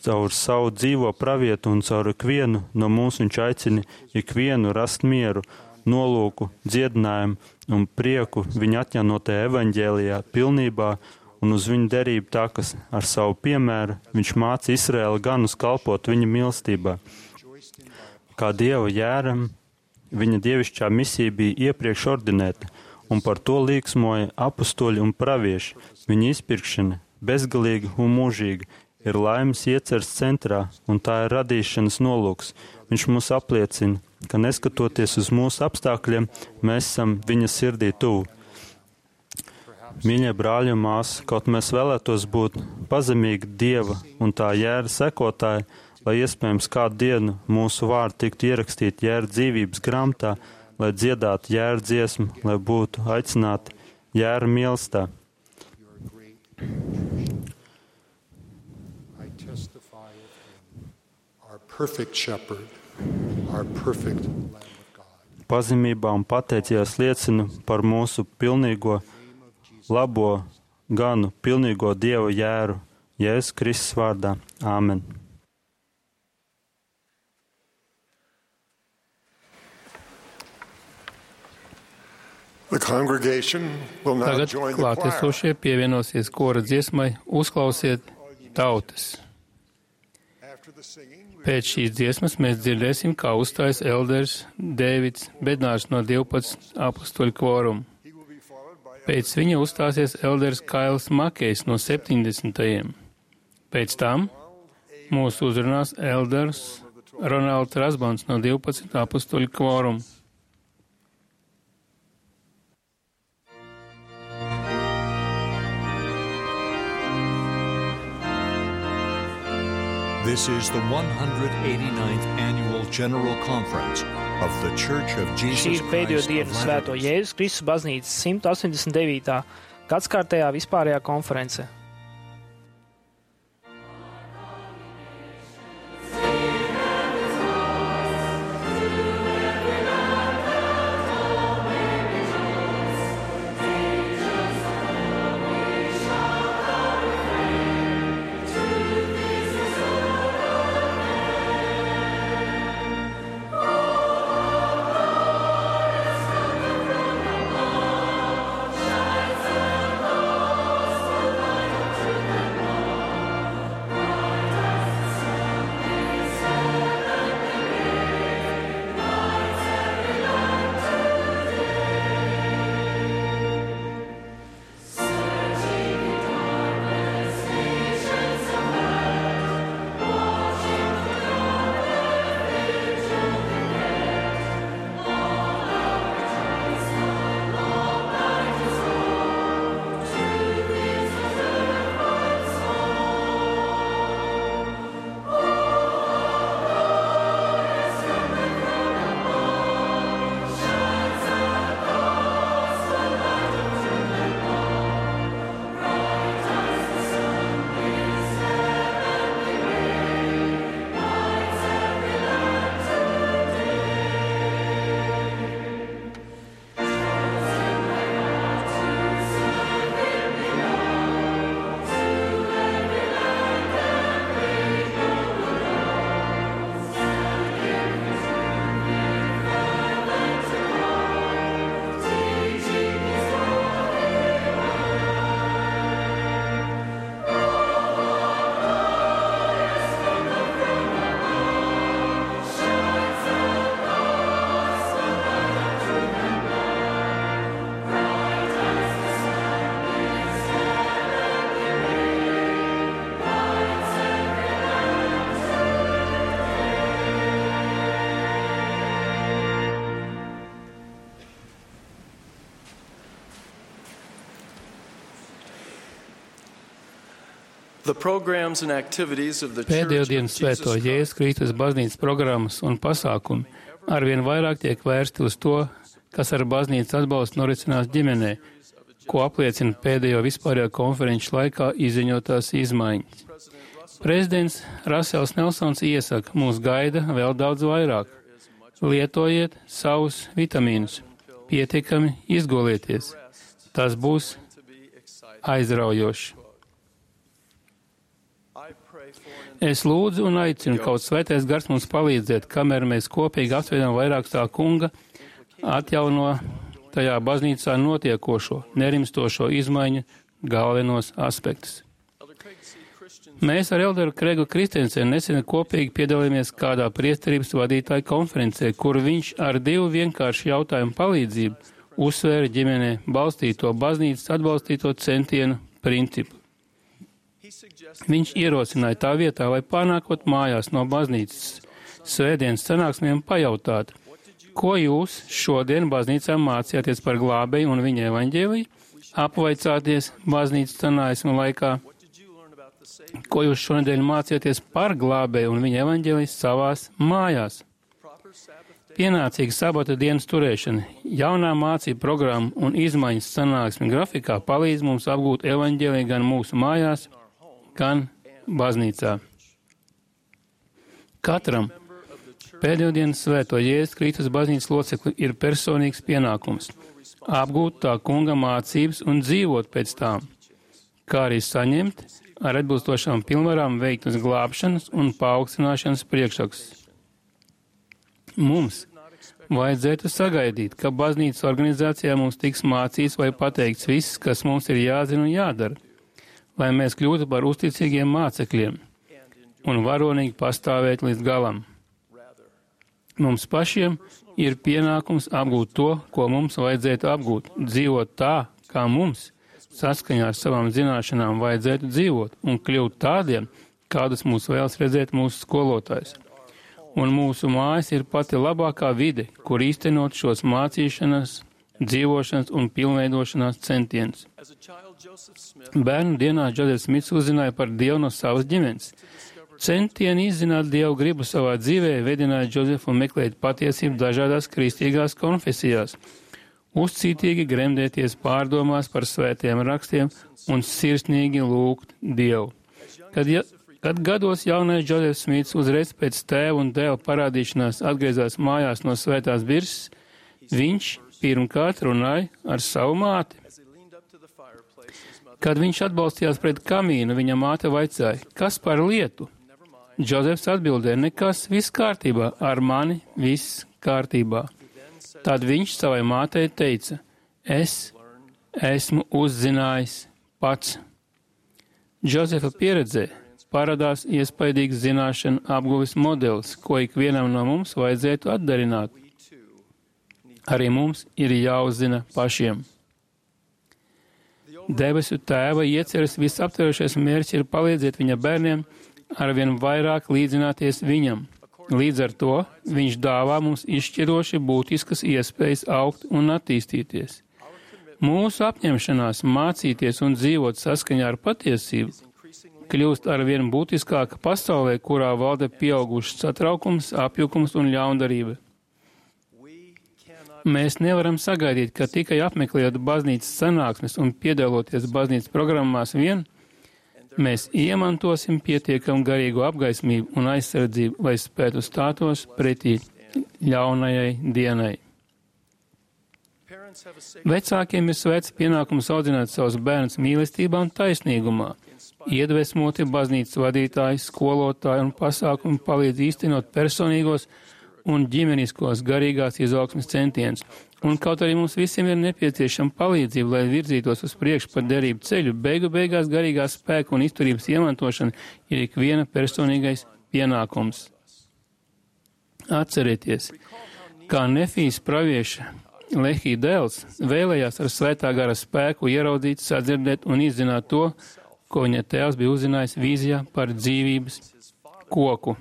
Caur savu dzīvo pravietu un caur ikvienu no mums viņš aicina ikvienu rast mieru, nolūku, dziedinājumu un prieku viņa atjaunotajā evaņģēlijā pilnībā un uz viņu derību tā, kas ar savu piemēru viņš māca Izraēlu ganus kalpot viņa mīlestībā. Kā Dieva jēram, viņa dievišķā misija bija iepriekš ordinēta, un par to līksmoja apustuļi un pravieši. Viņa izpirkšana, bezgalīga un mūžīga, ir laimes ieceres centrā, un tā ir radīšanas nolūks. Viņš mūs apliecina, ka neskatoties uz mūsu apstākļiem, mēs esam viņa sirdī tuvu. Mīļie brāļi un māsas, kaut mēs vēlētos būt pazemīgi Dieva un tā jēra sekotāji, lai iespējams kādu dienu mūsu vārdi tiktu ierakstīti jēra dzīvības grāmatā, lai dziedātu jēra dziesmu, lai būtu aicināti jēra mīlestā. Perfect shepherd, our perfect Lamb of God. Pazemībā un pateicījās liecina par mūsu pilnīgo, labo ganu, pilnīgo Dieva jēru, Jēzus Kristus vārdā. Āmen. The congregation will now Tagad join the choir. klātesošie pievienosies kora dziesmai Uzklausiet tautas. Pēc šīs dziesmas mēs dzirdēsim, kā uzstājas elders Dēvids Bednārs no divpadsmit apustuļu kvoruma. Pēc viņa uzstāsies elders Kails Makejs no septiņdesmitajiem. Pēc tam mūs uzrunās elders Ronalds Rasbans no divpadsmit apustuļu kvoruma. This is the one hundred eighty-ninth Annual General Conference of the Church of Jesus Šī ir pēdējo Christ dienu of Svēto Latter-day Jēzus Kristus baznīcas simt astoņdesmit devītā gadskārtējā vispārējā konference. Pēdējo dienu Svēto Jēzus Kristus baznīcas programmas un pasākumi arvien vairāk tiek vērsti uz to, kas ar baznīcas atbalstu norisinās ģimenē, ko apliecina pēdējo vispārējo konferenču laikā izziņotās izmaiņas. Prezidents Rasels Nelsons iesaka, mūs gaida vēl daudz vairāk. Lietojiet savus vitamīnus, pietiekami izgulieties. Tas būs aizraujoši. Es lūdzu un aicinu kaut svētais gars mums palīdzēt, kamēr mēs kopīgi apsveidām vairāk tā kunga atjauno tajā baznīcā notiekošo, nerimstošo izmaiņu galvenos aspektus. Mēs ar elderu Kregu Kristensenu nesen kopīgi piedalījāmies kādā priesterības vadītāju konferencē, kur viņš ar divu vienkāršu jautājumu palīdzību uzsvēra ģimenē balstīto baznīcas atbalstīto centienu principu. Viņš ierosināja tā vietā, lai panākot mājās no baznīcas svētdienas sanāksmēm pajautāt, ko jūs šodien baznīcā mācījāties par glābēju un viņa evaņģēliju, apvaicāties baznīcas sanāksmu laikā, ko jūs šonedēļ mācījāties par glābēju un viņa evaņģēliju savās mājās. Pienācīga sabata dienas turēšana, jaunā mācība programma un izmaiņas sanāksmi grafikā palīdz mums apgūt evaņģēliju gan mūsu mājās, gan baznīcā. Katram pēdējo dienas svēto Jēzus Kristus baznīcas locekli ir personīgs pienākums apgūt tā kunga mācības un dzīvot pēc tām, kā arī saņemt ar atbilstošām pilnvarām veiktas glābšanas un paaugstināšanas priekšrakstus. Mums vajadzētu sagaidīt, ka baznīcas organizācijā mums tiks mācīts vai pateikts viss, kas mums ir jāzina un jādara, lai mēs kļūtu par uzticīgiem mācekļiem un varonīgi pastāvēt līdz galam. Mums pašiem ir pienākums apgūt to, ko mums vajadzētu apgūt, dzīvot tā, kā mums, saskaņā ar savām zināšanām, vajadzētu dzīvot un kļūt tādiem, kādus mūs vēlas redzēt mūsu skolotājs. Un mūsu mājas ir pati labākā vide, kur īstenot šos mācīšanas, dzīvošanas un pilnveidošanās centienus. Bērnu dienās Džozefs Smits uzzināja par Dievu no savas ģimenes. Centieni izzināt Dievu gribu savā dzīvē vedināja Džozefu meklēt patiesību dažādās kristīgās konfesijās, uzcītīgi gremdēties pārdomās par svētiem rakstiem un sirsnīgi lūgt Dievu. Kad, ja, kad gados jaunais Džozefs Smits uzreiz pēc tēva un dēla parādīšanās atgriezās mājās no svētās birses, viņš pirmkārt runāja ar savu māti. Kad viņš atbalstījās pret kamīnu, viņa māte vaicāja, kas par lietu? Džozefs atbildēja, nekas, viss kārtībā, ar mani viss kārtībā. Tad viņš savai mātei teica, es esmu uzzinājis pats. Džozefa pieredzē parādās iespaidīgs zināšanu apguves modelis, ko ikvienam no mums vajadzētu atdarināt. Arī mums ir jāuzzina pašiem. Debesu Tēva ieceres visaptverošais mērķis ir palīdzēt viņa bērniem arvien vairāk līdzināties viņam. Līdz ar to viņš dāvā mums izšķiroši būtiskas iespējas augt un attīstīties. Mūsu apņemšanās mācīties un dzīvot saskaņā ar patiesību kļūst arvien būtiskāka pasaulē, kurā valda pieaugušs satraukums, apjukums un ļaundarība. Mēs nevaram sagaidīt, ka tikai apmeklējot baznīcas sanāksmes un piedaloties baznīcas programmās vien, mēs iemantosim pietiekam garīgu apgaismību un aizsardzību, lai spētu stātos pretī ļaunajai dienai. Vecākiem ir svēts pienākums audzināt savus bērnus mīlestībā un taisnīgumā. Iedvesmoti baznīcas vadītāji, skolotāji un pasākumi palīdz īstenot personīgos un ģimeniskos garīgās izaugsmes centienus. Un kaut arī mums visiem ir nepieciešama palīdzība, lai virzītos uz priekšu pa derību ceļu, beigu beigās garīgā spēka un izturības iemantošana ir ikviena personīgais pienākums. Atcerieties, kā Nefijas pravieša Lehī dēls vēlējās ar svētā gara spēku ieraudzīt, sadzirdēt un izzināt to, ko viņa tēvs bija uzzinājis vīzijā par dzīvības koku.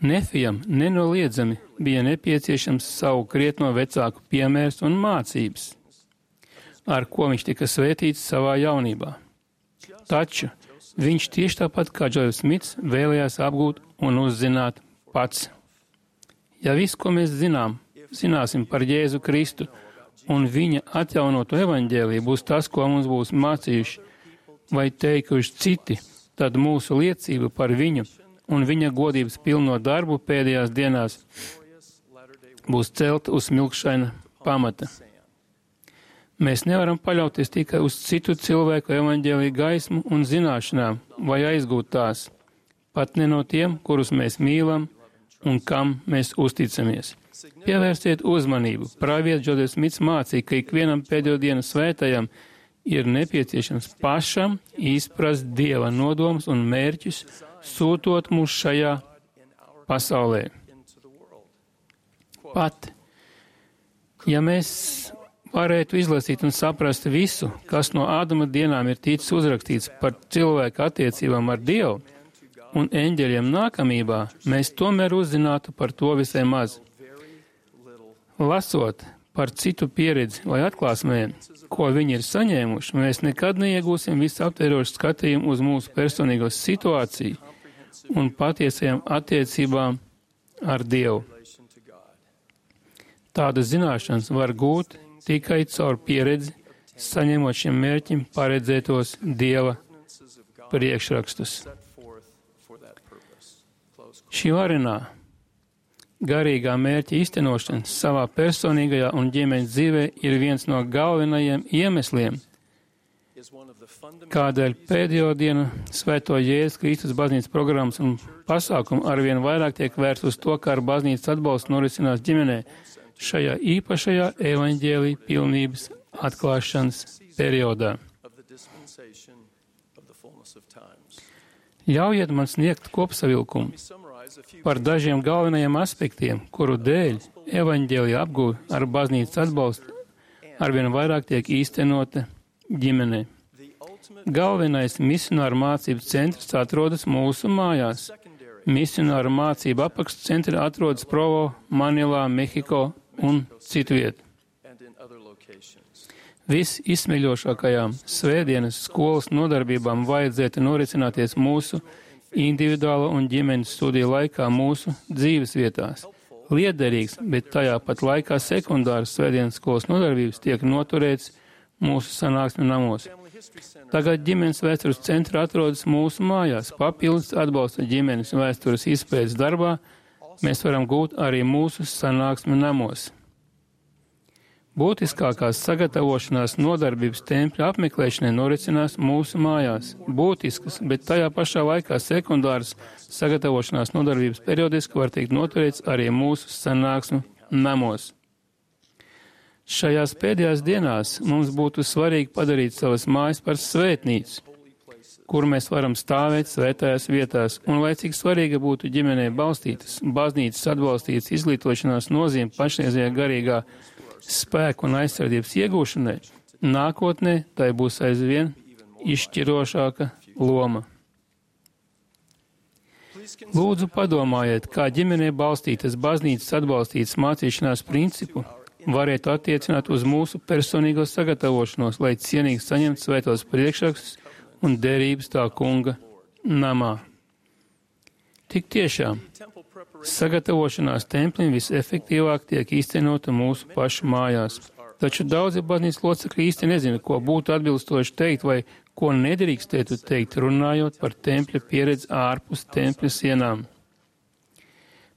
Nefijam nenoliedzami bija nepieciešams savu krietno vecāku piemērs un mācības, ar ko viņš tika svētīts savā jaunībā. Taču viņš tieši tāpat kā Džozefs Smits vēlējās apgūt un uzzināt pats. Ja viss, ko mēs zinām, zināsim par Jēzu Kristu, un viņa atjaunotu evaņģēliju būs tas, ko mums būs mācījuši vai teikuši citi, tad mūsu liecība par viņu un viņa godības pilno darbu pēdējās dienās būs celta uz smilkšaina pamata. Mēs nevaram paļauties tikai uz citu cilvēku evaņģēliju gaismu un zināšanām vai aizgūt tās, pat ne no tiem, kurus mēs mīlam un kam mēs uzticamies. Pievērsiet uzmanību. Pravietis Džozefs Smits mācīja, ka ikvienam pēdējo dienu svētajam ir nepieciešams pašam izprast Dieva nodomus un mērķus, sūtot mūs šajā pasaulē. Pat, ja mēs varētu izlasīt un saprast visu, kas no Ādama dienām ir ticis uzrakstīts par cilvēku attiecībām ar Dievu un eņģeļiem nākamībā, mēs tomēr uzzinātu par to visai maz. Lasot par citu pieredzi vai atklāsmēm, ko viņi ir saņēmuši, mēs nekad neiegūsim visaptverošu skatījumu uz mūsu personīgo situāciju un patiesajām attiecībām ar Dievu. Tādas zināšanas var gūt tikai caur pieredzi, saņemot šiem mērķim paredzētos Dieva priekšrakstus. Šī varenā garīgā mērķa īstenošana savā personīgajā un ģimenes dzīvē ir viens no galvenajiem iemesliem, kādēļ pēdējo dienu Svēto Jēzus Kristus baznīcas programmas un pasākumu arvien vairāk tiek vērsts uz to, kā ar baznīcas atbalstu norisinās ģimenē šajā īpašajā evaņģēlija pilnības atklāšanas periodā. Ļaujiet man sniegt kopsavilkumu par dažiem galvenajiem aspektiem, kuru dēļ evaņģēlija apgūve ar baznīcas atbalstu arvien vairāk tiek īstenota ģimenē. Galvenais misionāru mācību centrs atrodas mūsu mājās. Misionāru mācību apakšcentri atrodas Provo, Manilā, Mehiko un citviet. Visizsmeļošākajām svētdienas skolas nodarbībām vajadzētu norisināties mūsu individuāla un ģimenes studiju laikā mūsu dzīves vietās. Liederīgs, bet tajā pat laikā sekundāras svētdienas skolas nodarbības tiek noturēts mūsu sanāksmi namos. Tagad ģimenes vēstures centra atrodas mūsu mājās. Papildus atbalsta ģimenes vēstures izpētes darbā mēs varam gūt arī mūsu sanāksmi namos. Būtiskākās sagatavošanās nodarbības tempļa apmeklēšanai norisinās mūsu mājās. Būtiskas, bet tajā pašā laikā sekundāras sagatavošanās nodarbības periodiski var tikt noturēts arī mūsu sanāksmu namos. Šajās pēdējās dienās mums būtu svarīgi padarīt savas mājas par svētnīcu, kur mēs varam stāvēt svētajās vietās, un lai cik svarīga būtu ģimenē balstītas, baznīcas atbalstītas izglītošanās nozīme pašreizējā garīgā spēku un aizsardzības iegūšanai, nākotnē tai būs aizvien izšķirošāka loma. Lūdzu padomājiet, kā ģimenē balstītas baznīcas atbalstītas mācīšanās principu varētu attiecināt uz mūsu personīgo sagatavošanos, lai cienīgi saņemtu svētos priekšrakstus un derības tā kunga namā. Tik tiešām, sagatavošanās templim visefektīvāk tiek īstenota mūsu pašu mājās. Taču daudzi baznīcas locekļi īsti nezina, ko būtu atbilstoši teikt vai ko nedrīkstētu teikt, runājot par tempļa pieredzi ārpus tempļa sienām.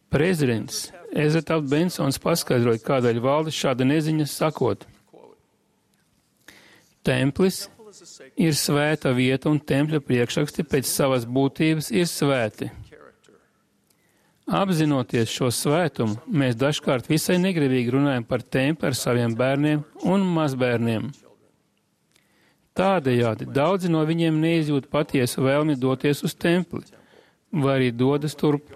Prezidents Ezetāps Bensons paskaidroja, kādēļ valda šāda neziņa, sakot: Templis ir svēta vieta un tempļa priekšraksti pēc savas būtības ir svēti. Apzinoties šo svētumu, mēs dažkārt visai negribīgi runājam par templi ar saviem bērniem un mazbērniem. Tādējādi daudzi no viņiem neizjūt patiesu vēlmi doties uz templi, vai arī dodas turp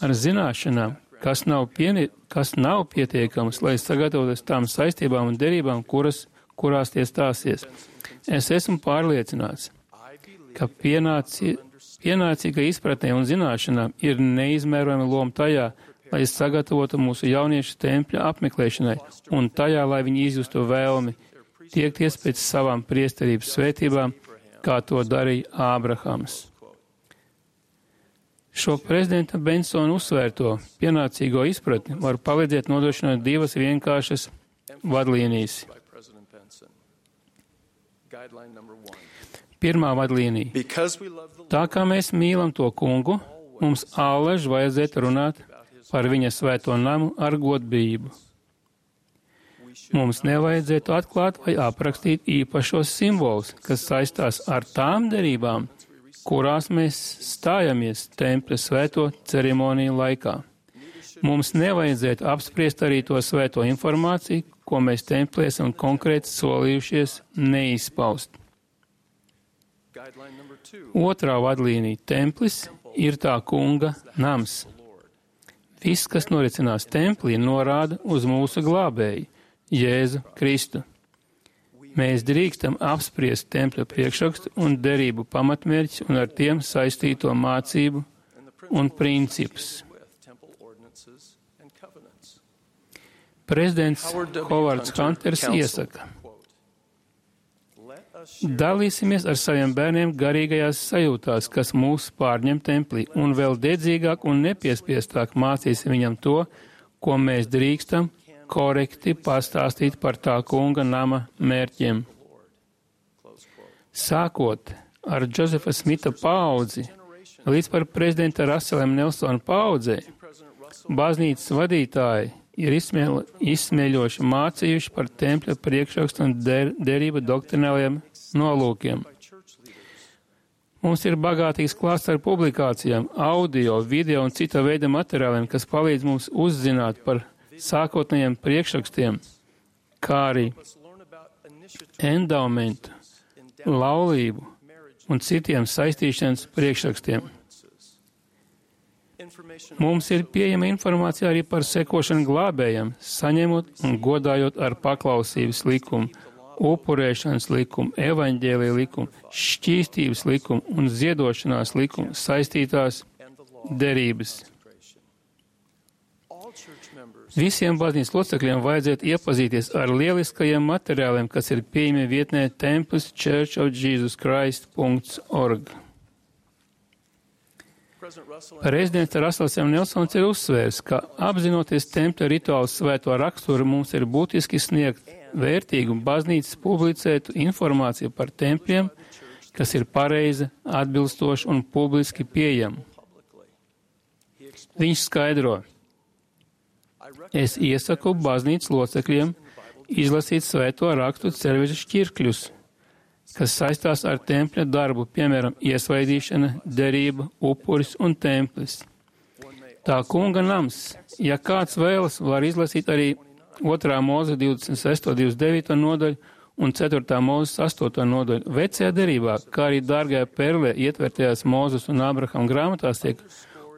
ar zināšanām, kas nav, pieni, kas nav pietiekamas, lai sagatavoties tām saistībām un derībām, kuras, kurās tie stāsies. Es esmu pārliecināts, ka pienāci, pienācīga izpratnē un zināšanām ir neizmērojama loma tajā, lai sagatavotu mūsu jauniešu tempļa apmeklēšanai un tajā, lai viņi izjustu vēlmi tiekties pēc savām priesterības svētībām, kā to darīja Ābrahams. Šo prezidenta Bensona uzsvērto pienācīgo izpratni var palīdzēt nodrošināt divas vienkāršas vadlīnijas. Pirmā vadlīnija. Tā kā mēs mīlam to kungu, mums allaž vajadzētu runāt par viņa svēto namu ar godbību. Mums nevajadzētu atklāt vai aprakstīt īpašos simbolus, kas saistās ar tām derībām, kurās mēs stājamies tempļa svēto ceremoniju laikā. Mums nevajadzētu apspriest arī to svēto informāciju, ko mēs templī esam konkrēti solījušies neizpaust. Otrā vadlīnija - templis ir tā kunga nams. Viss, kas norisinās templī, norāda uz mūsu glābēju, Jēzu Kristu. Mēs drīkstam apspriest tempļa priekšrakstu un derību pamatmērķus un ar tiem saistīto mācību un principus. Prezidents Hovards Hunters iesaka: dalīsimies ar saviem bērniem garīgajās sajūtās, kas mūs pārņem templī, un vēl dedzīgāk un nepiespiestāk mācīsim viņam to, ko mēs drīkstam korekti pastāstīt par tā kunga nama mērķiem. Sākot ar Džozefa Smita paudzi līdz par prezidenta Raselem Nelsona paudzei, baznīcas vadītāji ir izsmēl, izsmēļoši mācījuši par tempļa priekšrakstu un der, derību doktrināliem nolūkiem. Mums ir bagātīgs klāsts ar publikācijām, audio, video un cita veida materiāliem, kas palīdz mums uzzināt par sākotnējiem priekšrakstiem, kā arī endaumentu, laulību un citiem saistīšanas priekšrakstiem. Mums ir pieejama informācija arī par sekošanu glābējam, saņemot un godājot ar paklausības likumu, upurēšanas likumu, evaņģēlija likumu, šķīstības likumu un ziedošanās likumu saistītās derības. Visiem baznīcas locekļiem vajadzētu iepazīties ar lieliskajiem materiāliem, kas ir pieejami vietnē templis church of jesus christ dot org. Prezidents Rasels M. Nelsons ir uzsvērs, ka apzinoties tempļa rituālu svēto raksturu, mums ir būtiski sniegt vērtīgu baznīcas publicētu informāciju par tempļiem, kas ir pareiza, atbilstoša un publiski pieejama. Viņš skaidro: es iesaku baznīcas locekļiem izlasīt svēto rakstu ceļveža šķirkļus, kas saistās ar tempļa darbu, piemēram, iesvaidīšana, derība, upuris un templis. Tā kunga nams, ja kāds vēlas, var izlasīt arī otrā mūza divdesmit sesto divdesmit devīto nodaļu un ceturtā mūzes astoto nodaļu. Vecajā derībā, kā arī dārgajā perlē ietvertajās Mūzes un Ābrahama grāmatās tiek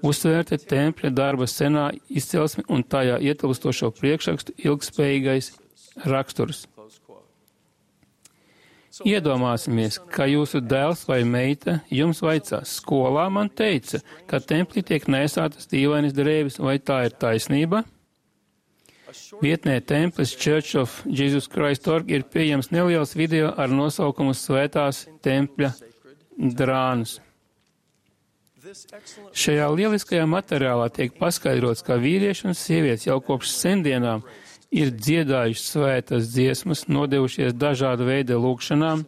uzsvērta tempļa darba senā izcelsme un tajā ietilpstošo priekšrakstu ilgspējīgais raksturs. Iedomāsimies, ka jūsu dēls vai meita jums vaicās: skolā man teica, ka templī tiek nesātas dīvainas drēbes, vai tā ir taisnība? Vietnē templis church of jesus christ dot org ir pieejams neliels video ar nosaukumu Svētās tempļa drānas. Šajā lieliskajā materiālā tiek paskaidrots, ka vīrieši un sievietes jau kopš sendienām ir dziedājuši svētas dziesmas, nodevušies dažādu veidu lūgšanām,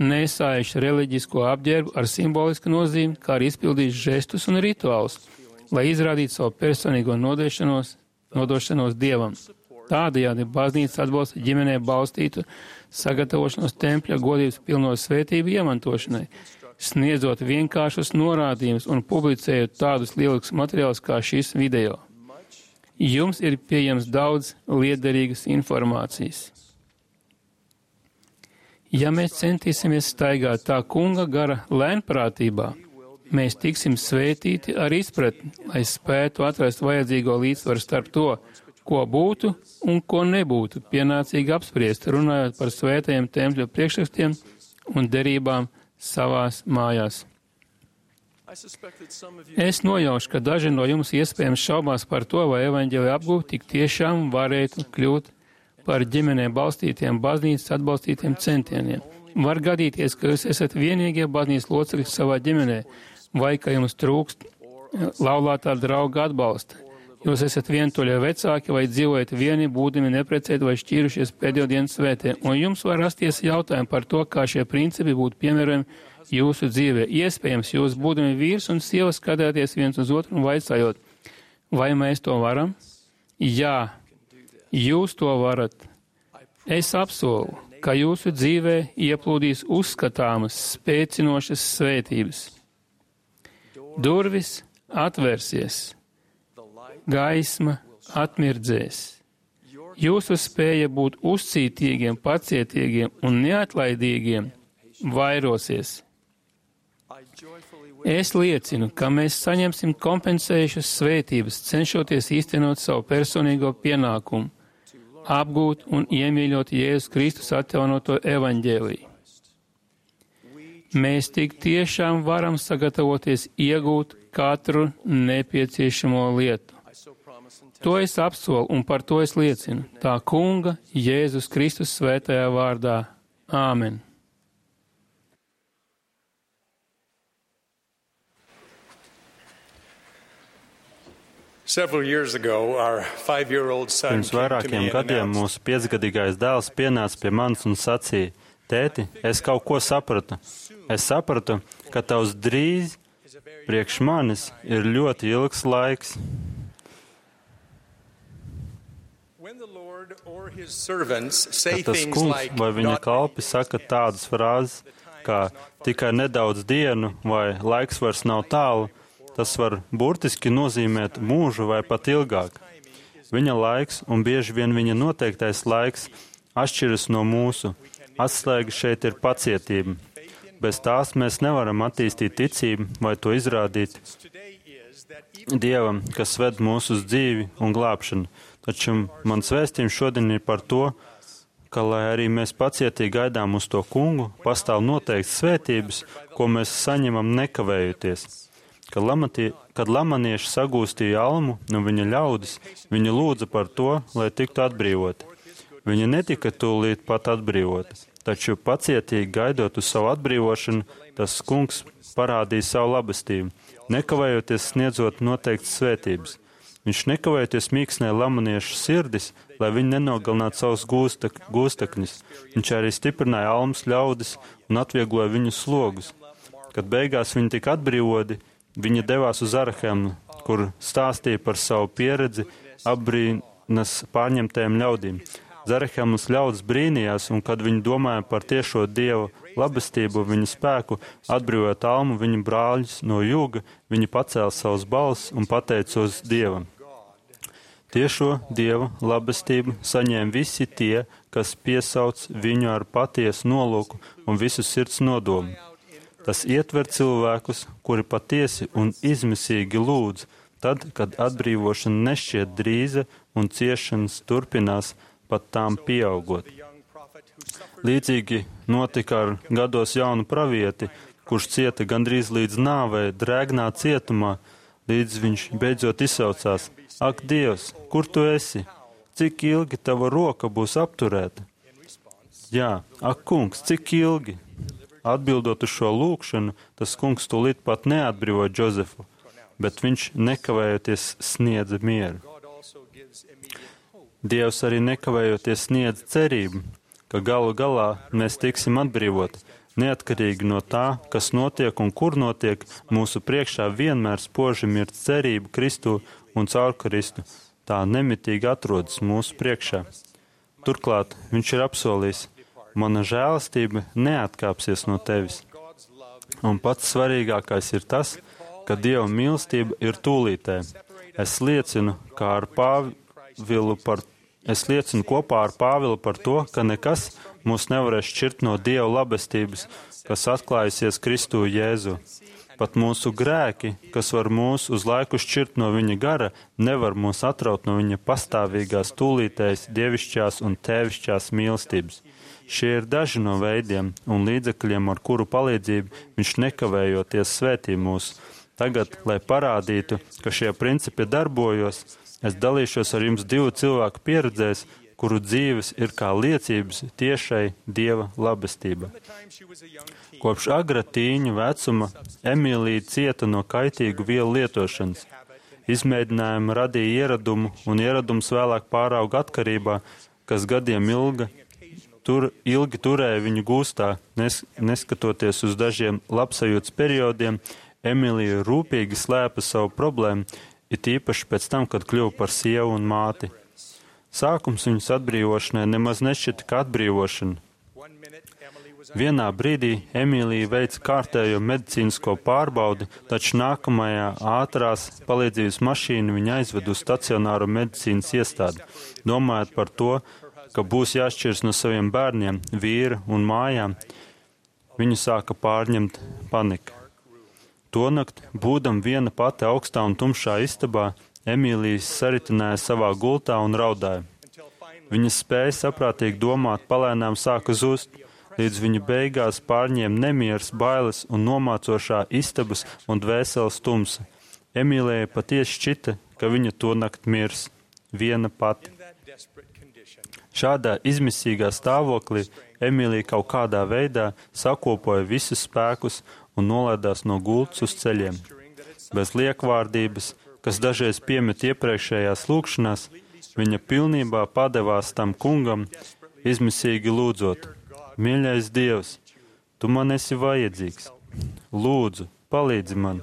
nesājuši reliģisko apģērbu ar simbolisku nozīmi, kā arī izpildījuši žestus un rituālus, lai izrādītu savu personīgo nodošanos, nodošanos Dievam. Tādējādi baznīca atbalsta ģimenē balstītu sagatavošanos tempļa godības pilno svētību iemantošanai, sniedzot vienkāršus norādījumus un publicējot tādus lieliskus materiālus kā šis video. Jums ir pieejams daudz liederīgas informācijas. Ja mēs centīsimies staigāt tā kunga gara lēnprātībā, mēs tiksim svētīti ar izpratni, lai spētu atrast vajadzīgo līdzsvaru starp to, ko būtu un ko nebūtu pienācīgi apspriest, runājot par svētajiem tempļa priekšrakstiem un derībām savās mājās. Es nojaušu, ka daži no jums iespējams šaubās par to, vai evaņģēlija apgūve tik tiešām varētu kļūt par ģimenē balstītiem baznīcas atbalstītiem centieniem. Var gadīties, ka jūs esat vienīgie baznīcas locekļi savā ģimenē, vai ka jums trūkst laulātā drauga atbalsta. Jūs esat vientuļie vecāki vai dzīvojat vieni, būdami neprecēti vai šķīrušies pēdējo dienu svētē, un jums var rasties jautājumi par to, kā šie principi būtu piemērojami jūsu dzīvē. Iespējams, jūs būdami vīrs un sieva skatāties viens uz otru un vaicājot, vai mēs to varam? Jā, jūs to varat. Es apsolu, ka jūsu dzīvē ieplūdīs uzskatāmas, spēcinošas svētības. Durvis atvērsies. Gaisma atmirdzēs. Jūsu spēja būt uzcītīgiem, pacietīgiem un neatlaidīgiem vairosies. Es liecinu, ka mēs saņemsim kompensējušas svētības, cenšoties īstenot savu personīgo pienākumu, apgūt un iemīļot Jēzus Kristus atjaunoto evaņģēliju. Mēs tik tiešām varam sagatavoties iegūt katru nepieciešamo lietu. To es apsolu un par to es liecinu. Tā Kunga Jēzus Kristus svētajā vārdā. Āmen. Pirms vairākiem gadiem mūsu piecgadīgais dēls pienāca pie manis un sacīja, tēti, es kaut ko sapratu. Es sapratu, ka tavs drīz priekš manis ir ļoti ilgs laiks. Kad tas kungs vai viņa kalpi saka tādas frāzes, kā tikai nedaudz dienu vai laiks vairs nav tālu, tas var burtiski nozīmēt mūžu vai pat ilgāk. Viņa laiks un bieži vien viņa noteiktais laiks atšķiras no mūsu. Atslēga šeit ir pacietība. Bez tās mēs nevaram attīstīt ticību vai to izrādīt Dievam, kas ved mūsu uz dzīvi un glābšanu. Taču mans vēstījums šodien ir par to, ka, lai arī mēs pacietīgi gaidām uz to kungu, pastāv noteikts svētības, ko mēs saņemam nekavējoties. Kad, lamatie, kad lamanieši sagūstīja almu no viņa ļaudis, viņi lūdza par to, lai tiktu atbrīvoti. Viņa netika tūlīt pat atbrīvota, taču pacietīgi gaidot uz savu atbrīvošanu, tas kungs parādīja savu labestību, nekavējoties sniedzot noteiktas svētības. Viņš nekavējoties mīksnēja lamaniešu sirdis, lai viņi nenogalinātu savus gūstek, gūstekņus. Viņš arī stiprināja almas ļaudis un atviegloja viņu slogus. Kad beigās viņi tika atbrīvoti, viņi devās uz Arahemu, kur stāstīja par savu pieredzi apbrīnas pārņemtajiem ļaudīm. Zarehemas ļaudis brīnījās, un kad viņi domāja par tiešo Dieva labestību, viņu spēku, atbrīvot almu viņu brāļus no jūga, viņi pacēla savus balsis un pateicos Dievam. Tiešo Dieva labestību saņēma visi tie, kas piesauc viņu ar patiesu nolūku un visu sirds nodomu. Tas ietver cilvēkus, kuri patiesi un izmisīgi lūdz, tad, kad atbrīvošana nešķiet drīza un ciešanas turpinās, pat tām pieaugot. Līdzīgi notika ar gados jaunu pravieti, kurš cieta gandrīz līdz nāvei, drēgnā cietumā, līdz viņš beidzot izsaucās: Ak, Dievs, kur tu esi? Cik ilgi tava roka būs apturēta? Jā, ak, kungs, cik ilgi? Atbildot uz šo lūkšanu, tas kungs tūlīt pat neatbrīvoja Džozefu, bet viņš nekavējoties sniedza mieru. Dievs arī nekavējoties sniedz cerību, ka galu galā mēs tiksim atbrīvoti. Neatkarīgi no tā, kas notiek un kur notiek, mūsu priekšā vienmēr spoži ir cerība Kristu un caur Kristu. Tā nemitīgi atrodas mūsu priekšā. Turklāt viņš ir apsolījis: mana žēlastība neatkāpsies no tevis. Un pats svarīgākais ir tas, ka Dieva mīlestība ir tūlītē. Es liecinu, kā ar Pāvilu par, es liecinu kopā ar Pāvilu par to, ka nekas mūs nevarēs šķirt no Dieva labestības, kas atklājusies Kristu Jēzu. Pat mūsu grēki, kas var mūs uz laiku šķirt no viņa gara, nevar mūs atraut no viņa pastāvīgās, tūlītējas, dievišķās un tēvišķās mīlestības. Šie ir daži no veidiem un līdzekļiem, ar kuru palīdzību viņš nekavējoties svētī mūs. Tagad, lai parādītu, ka šie principi darbojas, es dalīšos ar jums divu cilvēku pieredzēs, kuru dzīves ir kā liecības tiešai Dieva labestībai. Kopš agra tīņa vecuma Emīlija cieta no kaitīgu vielu lietošanas. Izmēģinājumi radīja ieradumu, un ieradums vēlāk pārauga atkarībā, kas gadiem ilga, tur, ilgi turēja viņu gūstā. Nes, neskatoties uz dažiem labsajūtas periodiem, Emīlija rūpīgi slēpa savu problēmu, it īpaši pēc tam, kad kļuva par sievu un māti. Sākums viņas atbrīvošanai nemaz nešķita kā atbrīvošana. Vienā brīdī Emīlija veica kārtējo medicīnisko pārbaudi, taču nākamajā ātrās palīdzības mašīna viņa aizved uz stacionāro medicīnas iestādi, domājot par to, ka būs jāšķirs no saviem bērniem, vīra un mājām. Viņu sāka pārņemt panika. Tonakt, būdam viena pati augstā un tumšā istabā, Emīlija saritināja savā gultā un raudāja. Viņas spēja saprātīgi domāt palēnām sāka zust, līdz viņa beigās pārņēma nemieras, bailes un nomācošā istabas un dvēseles tumsa. Emīlijai patiesi šķita, ka viņa tonakt mirs, viena pati. Šādā izmisīgā stāvoklī Emīlija kaut kādā veidā sakopoja visus spēkus un nolaidās no gultas uz ceļiem. Bez liekvārdības, kas dažreiz piemet iepriekšējās lūkšanās, viņa pilnībā padevās tam kungam, izmisīgi lūdzot: Mīļais Dievs, tu man esi vajadzīgs. Lūdzu, palīdzi man.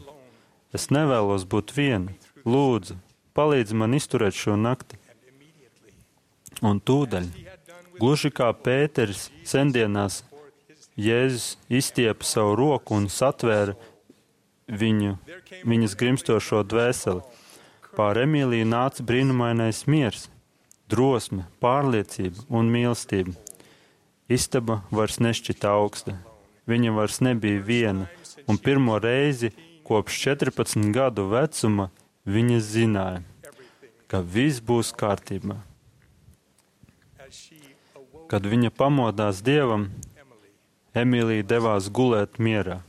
Es nevēlos būt viena. Lūdzu, palīdzi man izturēt šo nakti. Un tūdaļ, gluži kā Pēteris sendienās, Jēzus izstiepa savu roku un satvēra viņu, viņas grimstošo dvēseli. Pār Emīliju nāca brīnumainais miers, drosme, pārliecība un mīlestība. Istaba vairs nešķita augsta. Viņa vairs nebija viena, un pirmo reizi kopš četrpadsmit gadu vecuma viņa zināja, ka viss būs kārtībā. Kad viņa pamodās Dievam, Emīlija devās gulēt mierā.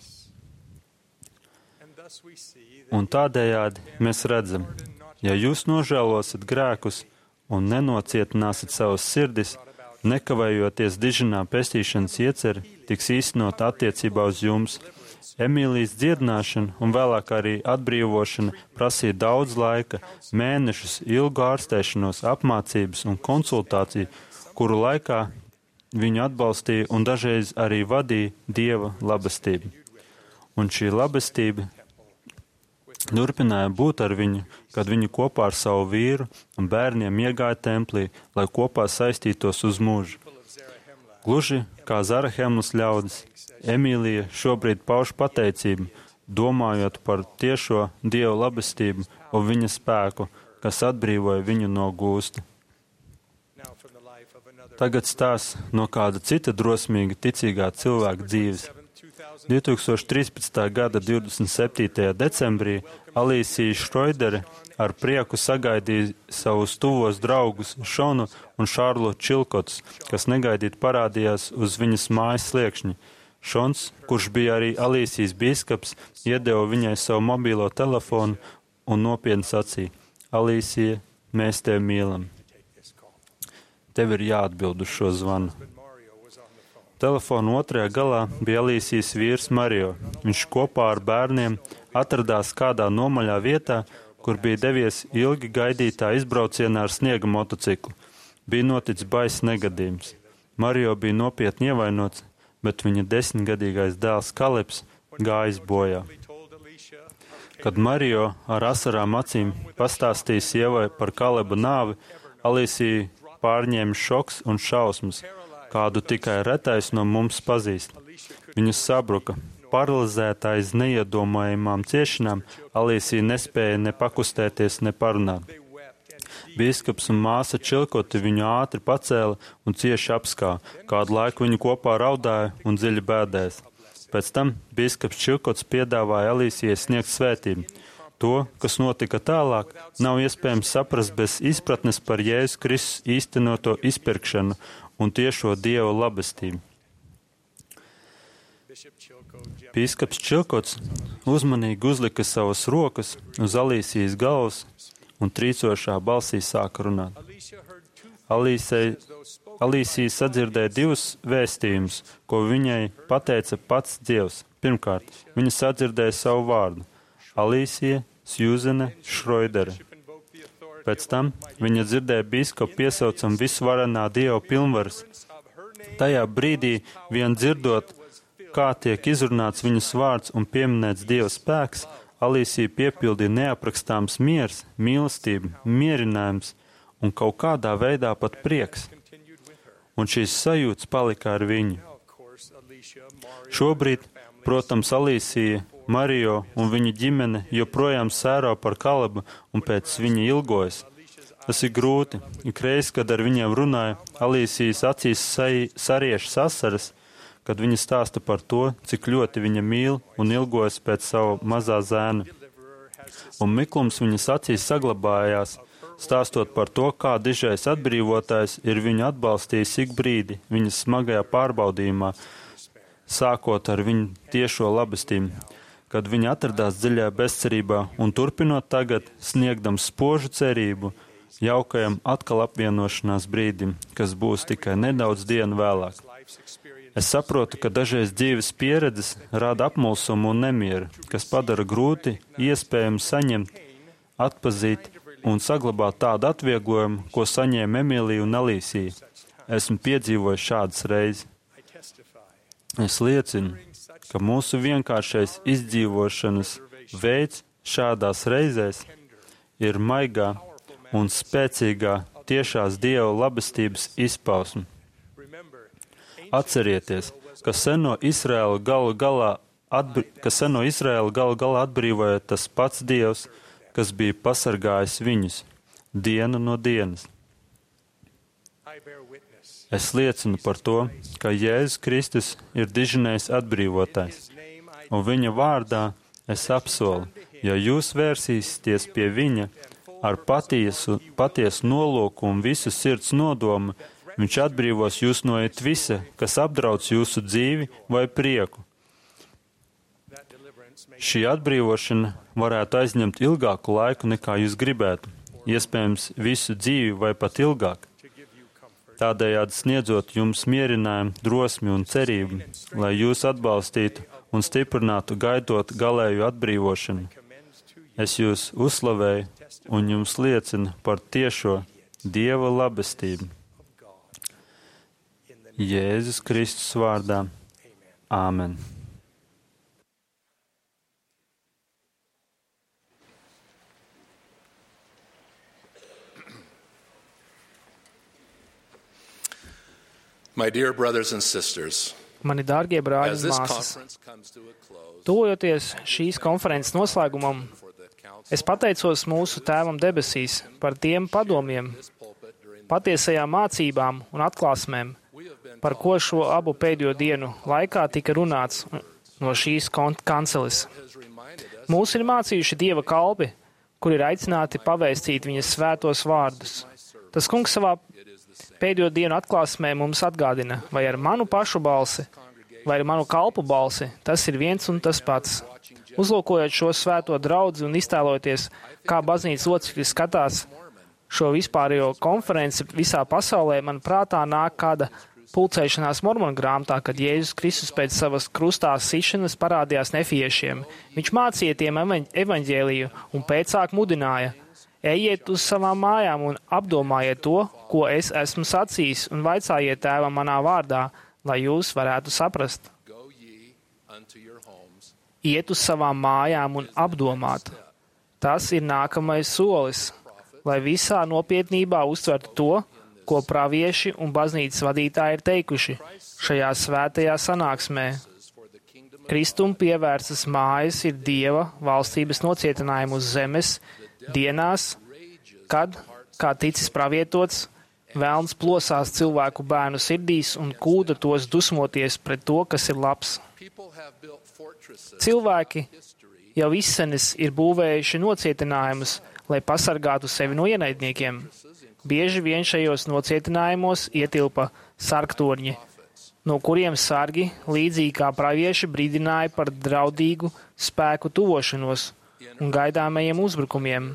Un tādējādi mēs redzam, ja jūs nožēlosiet grēkus un nenocietināsiet savas sirdis, nekavējoties diženā pestīšanas ieceri tiks īstenot attiecībā uz jums. Emīlijas dziedināšana un vēlāk arī atbrīvošana prasīja daudz laika, mēnešus ilgu ārstēšanos, apmācības un konsultāciju, kuru laikā viņu atbalstīja un dažreiz arī vadīja Dieva labestība. Un šī labestība turpināja būt ar viņu, kad viņa kopā ar savu vīru un bērniem iegāja templī, lai kopā saistītos uz mūžu. Gluži kā Zarahemlas ļaudis, Emīlija šobrīd pauž pateicību, domājot par tiešo Dieva labestību un viņa spēku, kas atbrīvoja viņu no gūsta. Tagad stāsts no kāda cita drosmīga ticīgā cilvēka dzīves. divi tūkstoši trīspadsmitā gada divdesmit septītajā decembrī Alīsija Šroidere ar prieku sagaidīja savus tuvos draugus Šonu un Šārlotu Čilkotus, kas negaidīt parādījās uz viņas mājas sliekšņa. Šons, kurš bija arī Alīsijas bīskaps, iedeva viņai savu mobilo telefonu un nopietni sacīja: Alīsija, mēs tevi mīlam. Tev ir jāatbild uz šo zvanu. Telefona otrajā galā bija Alīsijas vīrs Mario. Viņš kopā ar bērniem atradās kādā nomaļā vietā, kur bija devies ilgi gaidītā izbraucienā ar sniega motociklu. Bija noticis baiss negadījums. Mario bija nopietni ievainots, bet viņa desmitgadīgais dēls Kalebs gājis bojā. Kad Mario ar asarām acīm pastāstīja sievai par Kaleba nāvi, Alīsija pārņēma šoks un šausmas, kādu tikai retais no mums pazīst. Viņa sabruka. Paralizēta aiz neiedomājamām ciešanām, Alīsija nespēja ne pakustēties, ne parunāt. Bīskaps un māsa Čilkoti viņu ātri pacēla un cieši apskā. Kādu laiku viņu kopā raudāja un dziļi bēdēs. Pēc tam bīskaps Čilkots piedāvāja Alīsijai sniegt svētību. To, kas notika tālāk, nav iespējams saprast bez izpratnes par Jēzus Kristus īstenoto izpirkšanu un tiešo Dieva labestību. Bīskaps Čilkots uzmanīgi uzlika savas rokas uz Alīsijas galvas un trīcošā balsī sāka runāt. Alīsija sadzirdēja divus vēstījumus, ko viņai pateica pats Dievs. Pirmkārt, viņa sadzirdēja savu vārdu - Alīsija Sjūzene Šroidere. Pēc tam viņa dzirdēja bīskapu piesaucam visvarenā Dieva pilnvaras. Tajā brīdī, vien dzirdot, kā tiek izrunāts viņas vārds un pieminēts Dieva spēks, Alīsija piepildīja neaprakstāms miers, mīlestība, mierinājums un kaut kādā veidā pat prieks. Un šīs sajūtas palika ar viņu. Šobrīd, protams, Alīsija, Marijo un viņa ģimene joprojām sēro par Kalebu un pēc viņa ilgojas. Tas ir grūti. Ikreiz, kad ar viņiem runāja, Alīsijas acīs sariešas asaras, kad viņa stāsta par to, cik ļoti viņa mīl un ilgojas pēc savu mazā zēna. Un miklums viņas acīs saglabājās, stāstot par to, kā dižais atbrīvotājs ir viņu atbalstījis ik brīdi viņas smagajā pārbaudījumā, sākot ar viņu tiešo labestību, kad viņa atradās dziļajā bezcerībā un turpinot tagad, sniegdams spožu cerību, jaukajam atkal apvienošanās brīdim, kas būs tikai nedaudz dienu vēlāk. Es saprotu, ka dažreiz dzīves pieredzes rada apmulsumu un nemieru, kas padara grūti iespējami saņemt, atpazīt un saglabāt tādu atvieglojumu, ko saņēma Emīlija un Alīsija. Esmu piedzīvojis šādas reizes. Es liecinu, ka mūsu vienkāršais izdzīvošanas veids šādās reizēs ir maigā un spēcīgā tiešās Dieva labestības izpausme. Atcerieties, ka seno Izraēlu galu galā, atbr... ka seno Izraēlu galu galā atbrīvoja tas pats Dievs, kas bija pasargājis viņus dienu no dienas. Es liecinu par to, ka Jēzus Kristus ir dižinējs atbrīvotājs, un viņa vārdā es apsolu, ja jūs vērsīsieties pie viņa ar patiesu, patiesu nolūku un visu sirds nodomu, viņš atbrīvos jūs no it visa, kas apdrauc jūsu dzīvi vai prieku. Šī atbrīvošana varētu aizņemt ilgāku laiku, nekā jūs gribētu, iespējams visu dzīvi vai pat ilgāk. Tādējādi sniedzot jums mierinājumu, drosmi un cerību, lai jūs atbalstītu un stiprinātu gaidot galēju atbrīvošanu. Es jūs uzslavēju un jums liecinu par tiešo Dieva labestību. Jēzus Kristus vārdā. Āmen. My dear brothers and sisters, Mani dārgie brāļi as un this māsas, conference comes to a close, tuvojoties šīs konferences noslēgumam, es pateicos mūsu Tēvam debesīs par tiem padomiem, patiesajām mācībām un atklāsmēm, par ko šo abu pēdējo dienu laikā tika runāts no šīs kanceles. Mūs ir mācījuši Dieva kalpi, kur ir aicināti pavēstīt viņas svētos vārdus. Tas kungs savā pēdējo dienu atklāsmē mums atgādina, vai ar manu pašu balsi, vai ar manu kalpu balsi, tas ir viens un tas pats. Uzlūkojot šo svēto draudzi un iztēloties, kā baznīcas locekļi skatās šo vispārējo konferenci visā pasaulē, man prātā nāk kāda pulcēšanās Mormonu grāmatā, kad Jēzus Kristus pēc savas krustā sišanas parādījās nefiešiem. Viņš mācīja tiem evaņģēliju un pēcāk mudināja: ejiet uz savām mājām un apdomājiet to, ko es esmu sacījis, un vaicājiet Tēvam manā vārdā, lai jūs varētu saprast. Iet uz savām mājām un apdomāt. Tas ir nākamais solis, lai visā nopietnībā uztvertu to, ko pravieši un baznīcas vadītāji ir teikuši šajā svētajā sanāksmē. Kristum pievērstas mājas ir Dieva valstības nocietinājumu uz zemes dienās, kad, kā ticis pravietots, velns plosās cilvēku bērnu sirdīs un kūda tos dusmoties pret to, kas ir labs. Cilvēki jau izsenis ir būvējuši nocietinājumus, lai pasargātu sevi no ienaidniekiem. Bieži vien šajos nocietinājumos ietilpa sargtorņi, no kuriem sargi, līdzīgi kā pravieši, brīdināja par draudīgu spēku tuvošanos un gaidāmajiem uzbrukumiem.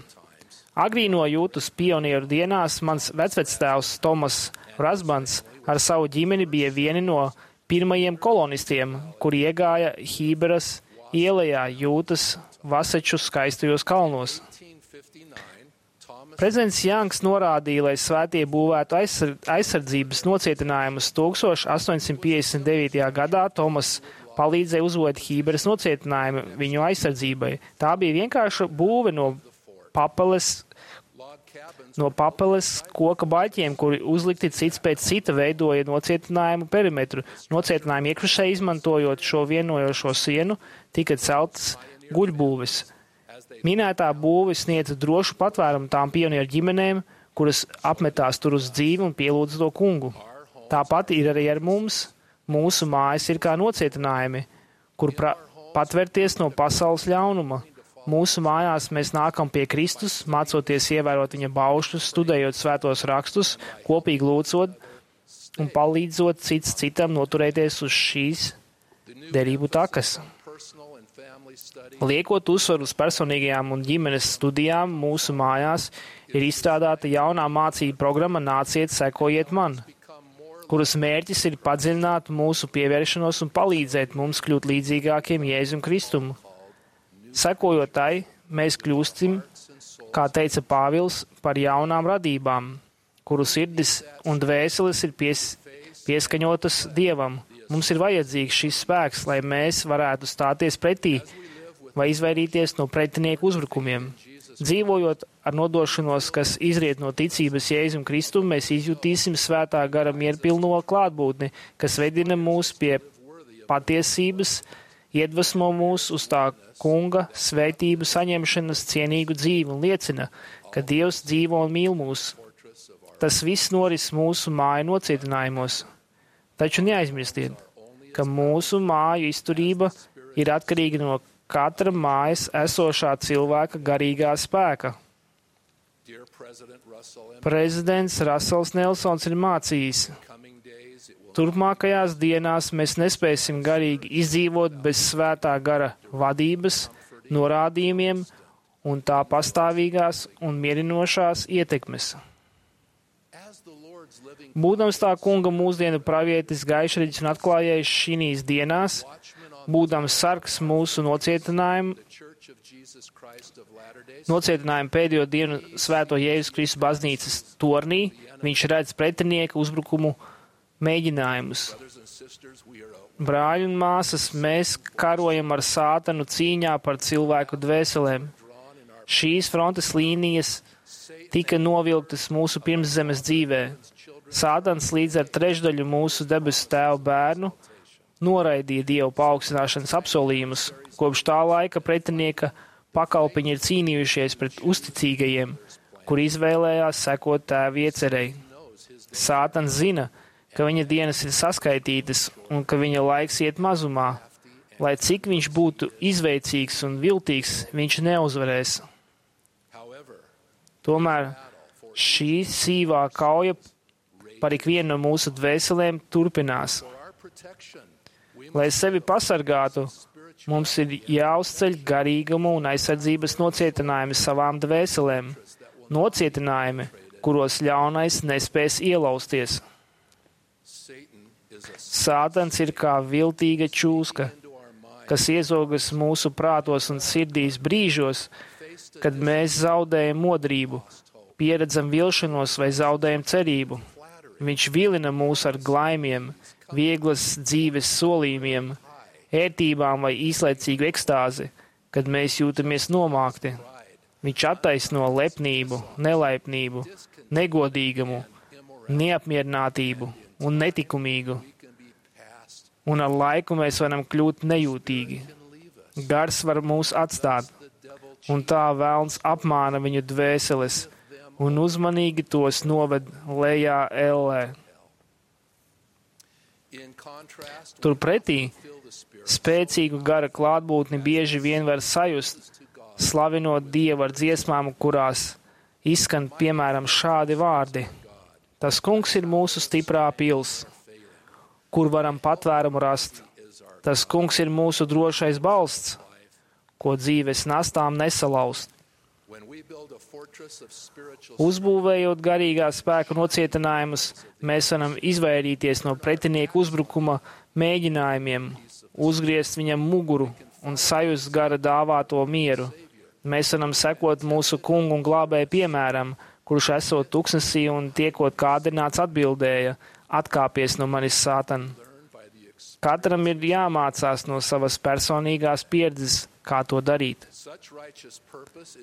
Agrīno jūtas pionieru dienās mans vecvectēvs Tomas Rasbans ar savu ģimeni bija vieni no pirmajiem kolonistiem, kuri iegāja Hīberas ielajā jūtas Vaseču skaistajos kalnos. Prezidents Janks norādīja, lai svētie būvētu aizsardzības nocietinājumus. Tūkstoš astoņsimt piecdesmit devītajā gadā Tomas palīdzēja uzbūvēt Hīberas nocietinājumu viņu aizsardzībai. Tā bija vienkārša būve no papeles, no papeles koka baļķiem, kuri uzlikti cits pēc cita veidoja nocietinājumu perimetru. Nocietinājumu iekšpusē izmantojot šo vienojošo sienu, tika celtas guļbūves. Minētā būve sniedza drošu patvērumu tām pionieru ģimenēm, kuras apmetās tur uz dzīvi un pielūdza to kungu. Tāpat ir arī ar mums. Mūsu mājas ir kā nocietinājumi, kur pra- patvērties no pasaules ļaunuma. Mūsu mājās mēs nākam pie Kristus, mācoties ievērot viņa baušļus, studējot svētos rakstus, kopīgi lūdzot un palīdzot cits citam noturēties uz šīs derību takas. Liekot uzsvaru uz personīgajām un ģimenes studijām, mūsu mājās ir izstrādāta jaunā mācību programma Nāciet, sekojiet man, kuras mērķis ir padziļināt mūsu pievēršanos un palīdzēt mums kļūt līdzīgākiem Jēzum Kristumu. Sekojot tai, mēs kļūstim, kā teica Pāvils, par jaunām radībām, kuru sirdis un dvēseles ir pies, pieskaņotas Dievam. Mums ir vajadzīgs šis spēks, lai mēs varētu stāties pretī vai izvairīties no pretinieku uzbrukumiem. Dzīvojot ar nodošanos, kas izriet no ticības Jēzum Kristum, mēs izjutīsim svētā gara mierpilno klātbūtni, kas vedina mūs pie patiesības, iedvesmo mūs uz tā kunga svētību saņemšanas cienīgu dzīvi un liecina, ka Dievs dzīvo un mīl mūs. Tas viss noris mūsu māju nocietinājumos. Taču neaizmirstiet, ka mūsu māju izturība ir atkarīga no katra mājas esošā cilvēka garīgā spēka. Prezidents Rasels Nelsons ir mācījis: turpmākajās dienās mēs nespēsim garīgi izdzīvot bez svētā gara vadības, norādījumiem un tā pastāvīgās un mierinošās ietekmes. Būdams tā kunga mūsdienu pravietis gaišreģis un atklājējis šīs dienās, būdams sargs mūsu nocietinājumu, nocietinājumu pēdējo dienu svēto Jēzus Kristus baznīcas tornī, viņš redz pretinieku uzbrukumu mēģinājumus. Brāļi un māsas, mēs karojam ar sātanu cīņā par cilvēku dvēselēm. Šīs frontes līnijas tika novilktas mūsu pirmszemes dzīvē. Sātans līdz ar trešdaļu mūsu debesu tēva bērnu noraidīja Dievu paaugstināšanas apsolījumus. Kopš tā laika pretinieka pakalpiņi ir cīnījušies pret uzticīgajiem, kuri izvēlējās sekot tēva iecerei. Sātans zina, ka viņa dienas ir saskaitītas un ka viņa laiks iet mazumā. Lai cik viņš būtu izveicīgs un viltīgs, viņš neuzvarēs. Tomēr šī sīvā kauja par ikvienu no mūsu dvēselēm turpinās. Lai sevi pasargātu, mums ir jāuzceļ garīgumu un aizsardzības nocietinājumi savām dvēselēm. Nocietinājumi, kuros ļaunais nespēs ielausties. Sātans ir kā viltīga čūska, kas iezogas mūsu prātos un sirdīs brīžos, kad mēs zaudējam modrību, pieredzam vilšanos vai zaudējam cerību. Viņš vilina mūs ar glaimiem, vieglas dzīves solījumiem, ērtībām vai īslaicīgu ekstāzi, kad mēs jūtamies nomākti. Viņš attaisno lepnību, nelaipnību, negodīgumu, neapmierinātību un netikumīgu. Un ar laiku mēs varam kļūt nejūtīgi. Gars var mūs atstāt, un tā velns apmāna viņu dvēseles un uzmanīgi tos noved lejā ellē. Turpretī spēcīgu gara klātbūtni bieži vien var sajust, slavinot Dievu ar dziesmām, kurās izskan piemēram šādi vārdi: Tas kungs ir mūsu stiprā pils, kur varam patvērumu rast. Tas kungs ir mūsu drošais balsts, ko dzīves nastām nesalaust. Uzbūvējot garīgā spēka nocietinājumus, mēs varam izvairīties no pretinieka uzbrukuma mēģinājumiem, uzgriezt viņam muguru un sajust gara dāvāto mieru. Mēs varam sekot mūsu kungu un glābēju piemēram, kurš esot tuksnesī un tiekot kādināts atbildēja: atkāpies no manis, Sātan. Katram ir jāmācās no savas personīgās pieredzes, kā to darīt.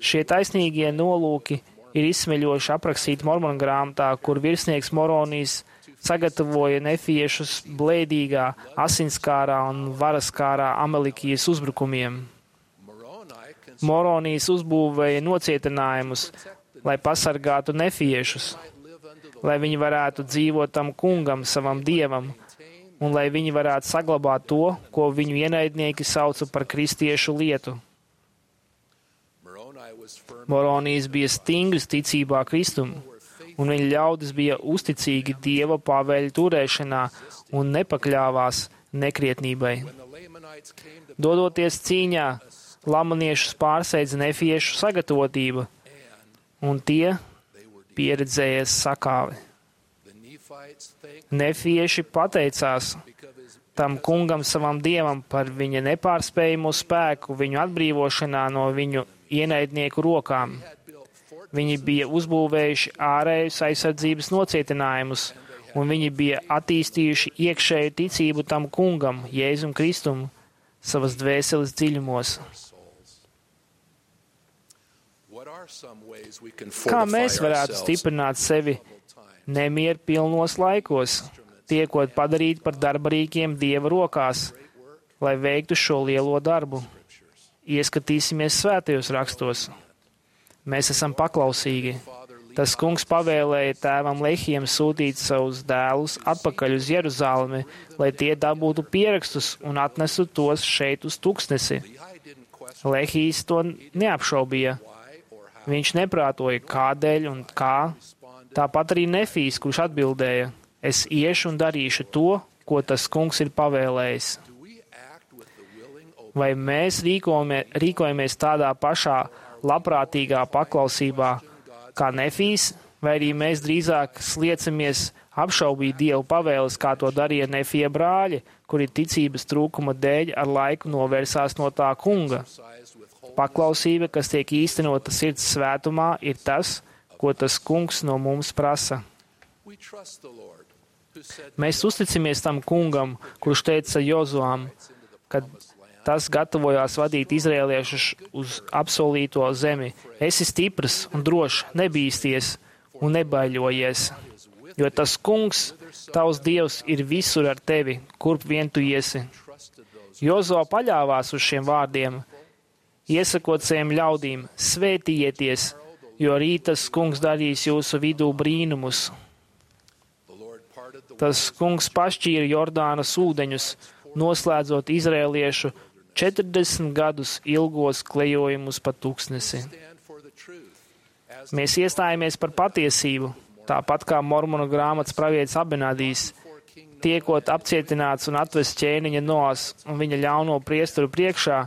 Šie taisnīgie nolūki ir izsmeļoši aprakstīti Mormonu grāmatā, kur virsnieks Moronijs sagatavoja nefiešus blēdīgā, asinskārā un varaskārā Amelikijas uzbrukumiem. Moronijs uzbūvēja nocietinājumus, lai pasargātu nefiešus, lai viņi varētu dzīvot tam kungam, savam dievam, un lai viņi varētu saglabāt to, ko viņu ienaidnieki sauca par kristiešu lietu. Moronijs bija stingrs ticībā Kristum, un viņa ļaudis bija uzticīgi Dieva pavēļu turēšanā un nepakļāvās nekrietnībai. Dodoties cīņā, lamaniešus pārsteidza nefiešu sagatavotība, un tie pieredzējies sakāvi. Nefieši pateicās tam kungam, savam dievam, par viņa nepārspējamo spēku viņu atbrīvošanā no viņu ienaidnieku rokām. Viņi bija uzbūvējuši ārējus aizsardzības nocietinājumus, un viņi bija attīstījuši iekšēju ticību tam kungam, Jēzum Kristum, savas dvēseles dziļumos. Kā mēs varētu stiprināt sevi nemieru pilnos laikos, tiekot padarīti par darbarīkiem Dieva rokās, lai veiktu šo lielo darbu? Ieskatīsimies svētajos rakstos. Mēs esam paklausīgi. Tas kungs pavēlēja tēvam Lehijam sūtīt savus dēlus atpakaļ uz Jeruzalemi, lai tie dabūtu pierakstus un atnesu tos šeit uz tuksnesi. Lehijs to neapšaubīja. Viņš neprātoja, kādēļ un kā. Tāpat arī Nefijs, kurš atbildēja: es iešu un darīšu to, ko tas kungs ir pavēlējis. Vai mēs rīkojamies tādā pašā labprātīgā paklausībā kā Nefijs, vai arī mēs drīzāk sliecamies apšaubīt Dievu pavēles, kā to darīja Nefija brāļi, kuri ticības trūkuma dēļ ar laiku novērsās no tā kunga? Paklausība, kas tiek īstenota sirds svētumā, ir tas, ko tas kungs no mums prasa. Mēs uzticamies tam kungam, kurš teica Jozuam, kad tas gatavojās vadīt izrēliešus uz apsolīto zemi: esi stiprs un drošs, nebīsties un nebaiļojies, jo tas kungs, tavs Dievs, ir visur ar tevi, kurp vien tu iesi. Jozo paļāvās uz šiem vārdiem, iesakot saviem ļaudīm: svētījieties, jo rīt tas kungs darīs jūsu vidū brīnumus. Tas kungs pašķīra Jordānas ūdeņus, noslēdzot izrēliešu četrdesmit gadus ilgos klejojumus pa tūkstnesi. Mēs iestājamies par patiesību, tāpat kā Mormonu grāmatas pravietis Abenadijs, tiekot apcietināts un atvests ķēniņa Noas un viņa ļauno priesteru priekšā.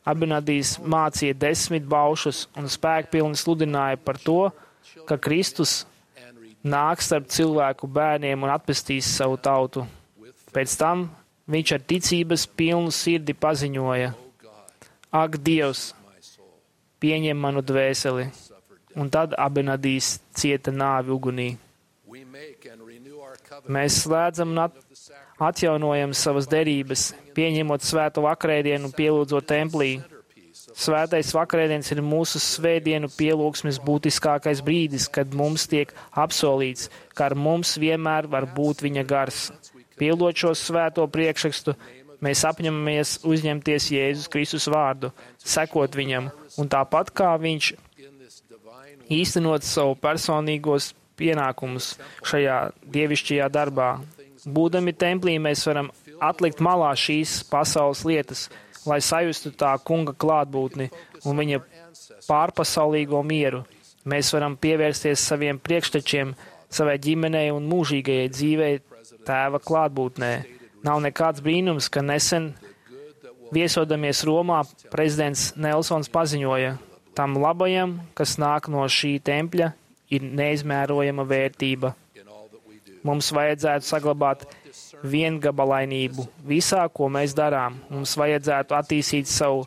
Abenadijs mācīja desmit baušus un spēkpilni sludināja par to, ka Kristus nāks starp cilvēku bērniem un atpestīs savu tautu. Pēc tam viņš ar ticības pilnu sirdi paziņoja: ak, Dievs, pieņem manu dvēseli. Un tad Abenadijs cieta nāvi ugunī. Mēs slēdzam un atjaunojam savas derības, pieņemot svēto vakarēdienu un pielūdzot templī. Svētais vakarēdienis ir mūsu svētdienu pielūgsmes būtiskākais brīdis, kad mums tiek apsolīts, ka ar mums vienmēr var būt viņa gars. Pildot šo svēto priekšrakstu, mēs apņemamies uzņemties Jēzus Kristus vārdu, sekot viņam, un tāpat kā viņš īstenot savu personīgos pienākumus šajā dievišķajā darbā. Būdami templī, mēs varam atlikt malā šīs pasaules lietas, lai sajustu tā kunga klātbūtni un viņa pārpasaulīgo mieru. Mēs varam pievērsties saviem priekštečiem, savai ģimenei un mūžīgajai dzīvei tēva klātbūtnē. Nav nekāds brīnums, ka nesen viesodamies Romā prezidents Nelsons paziņoja: Tam labajam, kas nāk no šī tempļa, ir neizmērojama vērtība. Mums vajadzētu saglabāt viengabalainību visā, ko mēs darām. Mums vajadzētu attīstīt savu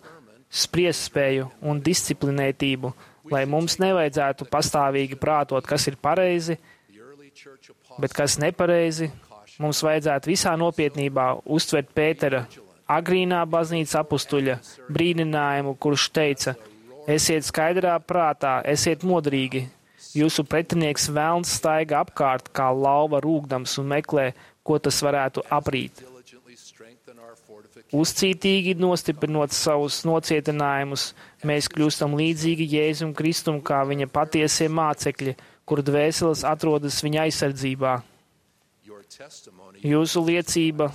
spriestspēju un disciplinētību, lai mums nevajadzētu pastāvīgi prātot, kas ir pareizi, bet kas nepareizi. Mums vajadzētu visā nopietnībā uztvert Pētera agrīnā baznīcas apustuļa brīdinājumu, kurš teica: esiet skaidrā prātā, esiet modrīgi. Jūsu pretinieks velns staiga apkārt kā lauva rūgdams un meklē, ko tas varētu aprīt. Uzcītīgi nostiprinot savus nocietinājumus, mēs kļūstam līdzīgi Jēzum Kristum kā viņa patiesie mācekļi, kur dvēseles atrodas viņa aizsardzībā. Jūsu liecība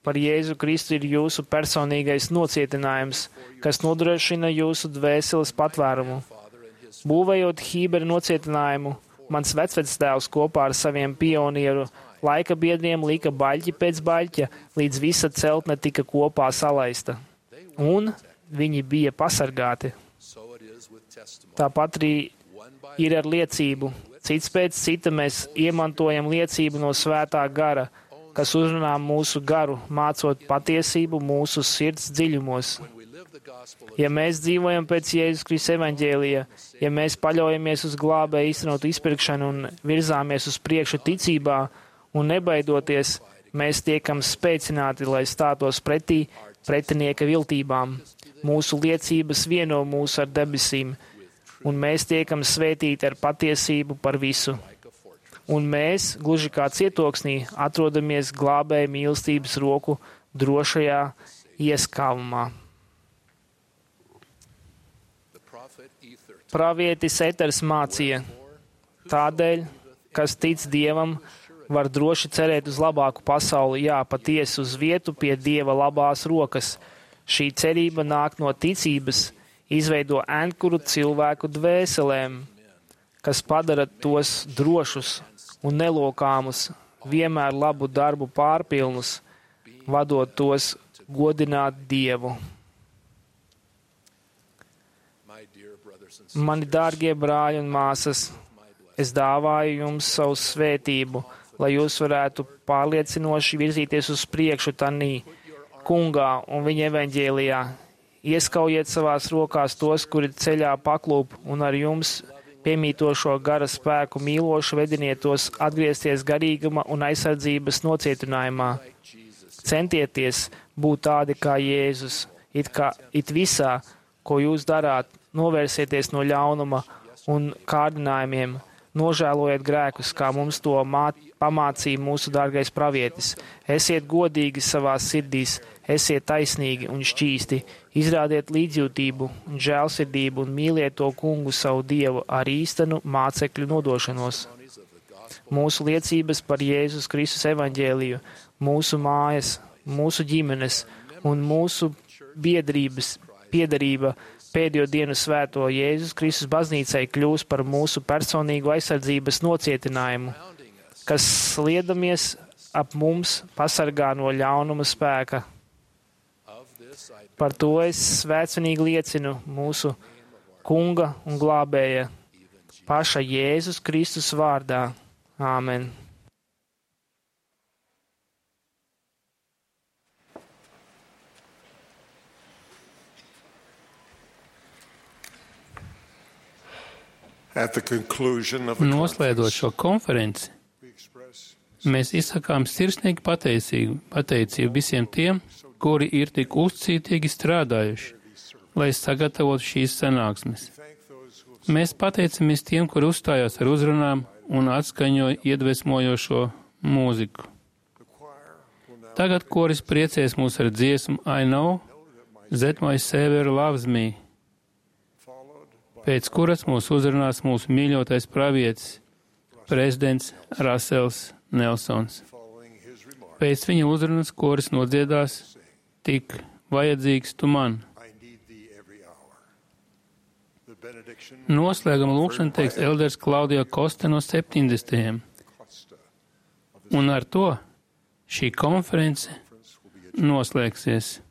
par Jēzu Kristu ir jūsu personīgais nocietinājums, kas nodrošina jūsu dvēseles patvērumu. Būvējot Hībera nocietinājumu, mans vecvectēvs kopā ar saviem pionieru laika biedriem lika baļķi pēc baļķa, līdz visa celtne tika kopā salaista. Un viņi bija pasargāti. Tāpat arī ir ar liecību. Cits pēc cita mēs iemantojam liecību no svētā gara, kas uzrunā mūsu garu, mācot patiesību mūsu sirds dziļumos. Ja mēs dzīvojam pēc Jēzus Kristus evaņģēlija, ja mēs paļaujamies uz glābēju īstenotu izpirkšanu un virzāmies uz priekšu ticībā un nebaidoties, mēs tiekam spēcināti, lai stātos pretī pretinieka viltībām. Mūsu liecības vieno mūs ar debesīm, un mēs tiekam svētīti ar patiesību par visu. Un mēs, gluži kā cietoksnī, atrodamies glābēja mīlestības roku drošajā ieskavumā. Pravietis Eters mācīja: tādēļ, kas tic Dievam, var droši cerēt uz labāku pasauli, jā, patiesi uz vietu pie Dieva labās rokas. Šī cerība nāk no ticības, izveido ankuru cilvēku dvēselēm, kas padara tos drošus un nelokāmus, vienmēr labu darbu pārpilnus, vadot tos godināt Dievu. Mani dārgie brāļi un māsas, es dāvāju jums savu svētību, lai jūs varētu pārliecinoši virzīties uz priekšu tanī, kungā un viņa evaņģēlijā. Ieskaujiet savās rokās tos, kuri ceļā paklūp, un ar jums piemītošo gara spēku mīloši vediniet tos atgriezties garīguma un aizsardzības nocietinājumā. Centieties būt tādi kā Jēzus, it, kā, it visā, ko jūs darāt, novērsieties no ļaunuma un kārdinājumiem, nožēlojiet grēkus, kā mums to māt, pamācīja mūsu dārgais pravietis. Esiet godīgi savās sirdīs, esiet taisnīgi un šķīsti, izrādiet līdzjūtību un žēlsirdību un mīliet to kungu savu Dievu ar īstenu mācekļu nodošanos. Mūsu liecības par Jēzus Kristus evaņģēliju, mūsu mājas, mūsu ģimenes un mūsu biedrības, piedarība pēdējo dienu svēto Jēzus Kristus baznīcai kļūs par mūsu personīgu aizsardzības nocietinājumu, kas sliedamies ap mums pasargā no ļaunuma spēka. Par to es svētcenīgi liecinu mūsu kunga un glābēja paša Jēzus Kristus vārdā. Āmen. Noslēdzot šo konferenci, mēs izsakām sirsnīgi pateicību, pateicību visiem tiem, kuri ir tik uzcītīgi strādājuši, lai sagatavotu šīs sanāksmes. Mēs pateicamies tiem, kuri uzstājās ar uzrunām un atskaņoja iedvesmojošo mūziku. Tagad koris priecēs mūs ar dziesmu I know that my Savior loves me, pēc kuras mūs uzrunās mūsu mīļotais pravietis, prezidents Rasels Nelsons. Pēc viņa uzrunas koris nodziedās tik vajadzīgs tu man. Noslēguma lūkšana teiks elders Klaudio Kosta no septiņdesmitajiem. Un ar to šī konference noslēgsies.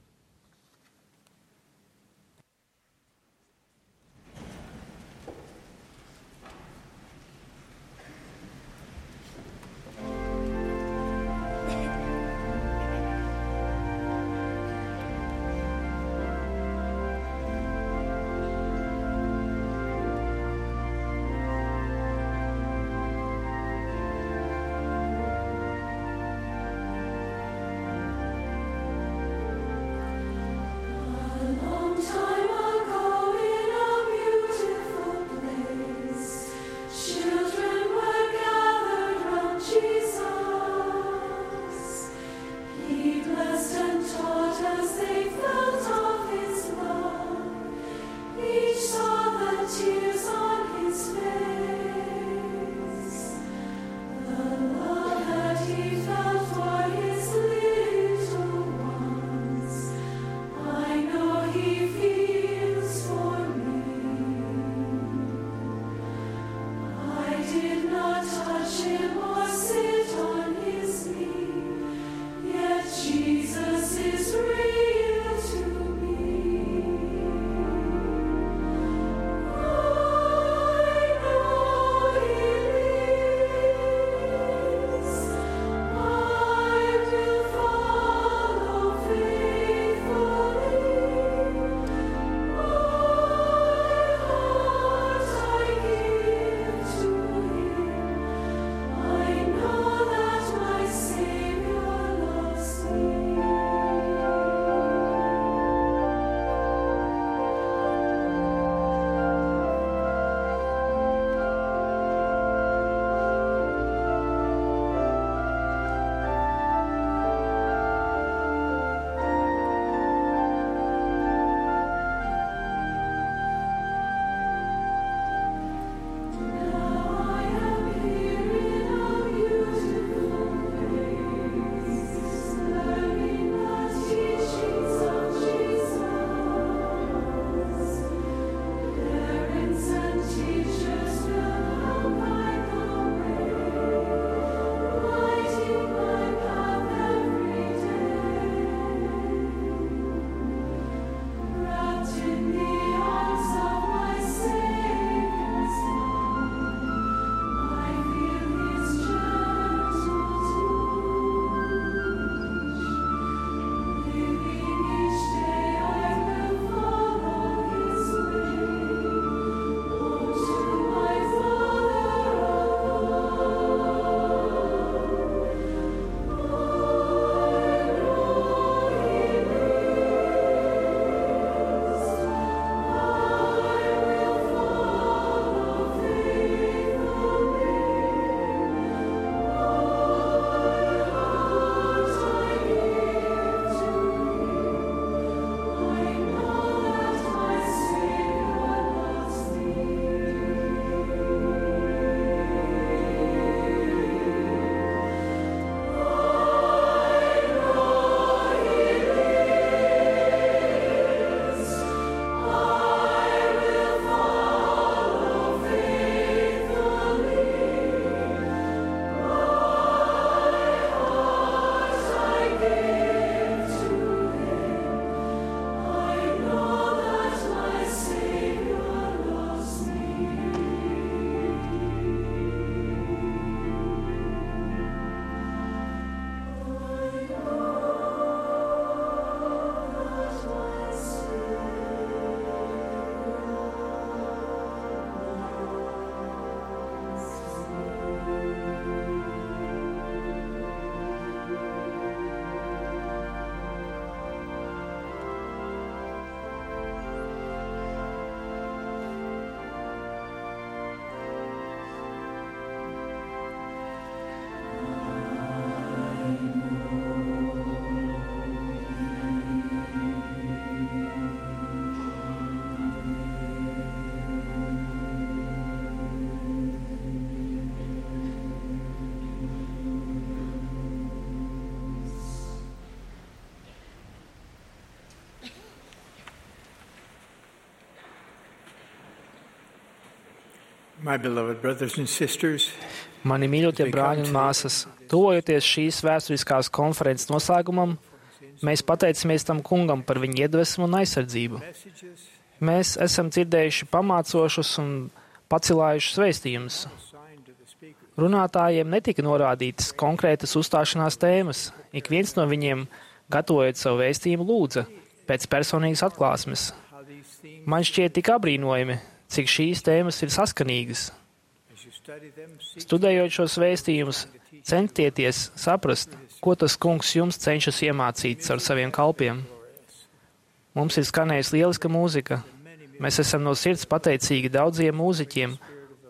My beloved brothers and sisters, Mani mīļotie brāļi un māsas, tuvojoties šīs vēsturiskās konferences noslēgumam, mēs pateicamies tam kungam par viņa iedvesmu un aizsardzību. Mēs esam dzirdējuši pamācošus un pacilājušus vēstījumus. Runātājiem netika norādītas konkrētas uzstāšanās tēmas. Ik viens no viņiem, gatavojot savu vēstījumu, lūdza pēc personīgas atklāsmes. Man šķiet tik abrīnojami, cik šīs tēmas ir saskanīgas. Studējot šos vēstījumus, centieties saprast, ko tas kungs jums cenšas iemācīt ar saviem kalpiem. Mums ir skanējusi lieliska mūzika. Mēs esam no sirds pateicīgi daudziem mūziķiem,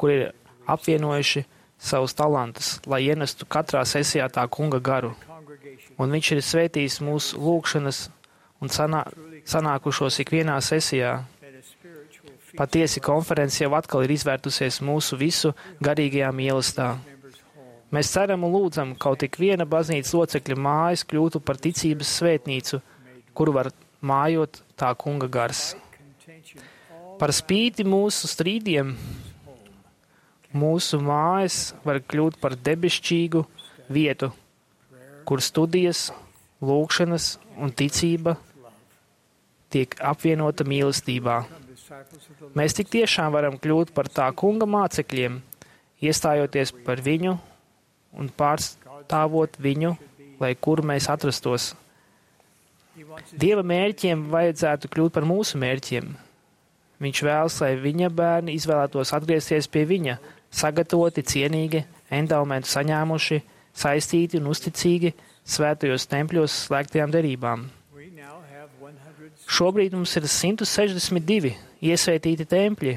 kuri ir apvienojuši savus talantus, lai ienestu katrā sesijā tā kunga garu. Un viņš ir svētījis mūsu lūgšanas un sanā, sanākušos ikvienā sesijā. Patiesi konference jau atkal ir izvērtusies mūsu visu garīgajā mīlestā. Mēs ceram un lūdzam, kaut ik viena baznīcas locekļa mājas kļūtu par ticības svētnīcu, kur var mājot tā kunga gars. Par spīti mūsu strīdiem, mūsu mājas var kļūt par debesšķīgu vietu, kur studijas, lūgšanas un ticība tiek apvienota mīlestībā. Mēs tik tiešām varam kļūt par tā kunga mācekļiem, iestājoties par viņu un pārstāvot viņu, lai kur mēs atrastos. Dieva mērķiem vajadzētu kļūt par mūsu mērķiem. Viņš vēlas, lai viņa bērni izvēlētos atgriezties pie viņa, sagatavoti, cienīgi, endaumentu saņēmuši, saistīti un uzticīgi svētajos tempļos slēgtajām derībām. Šobrīd mums ir simt sešdesmit divi iesvētīti tempļi.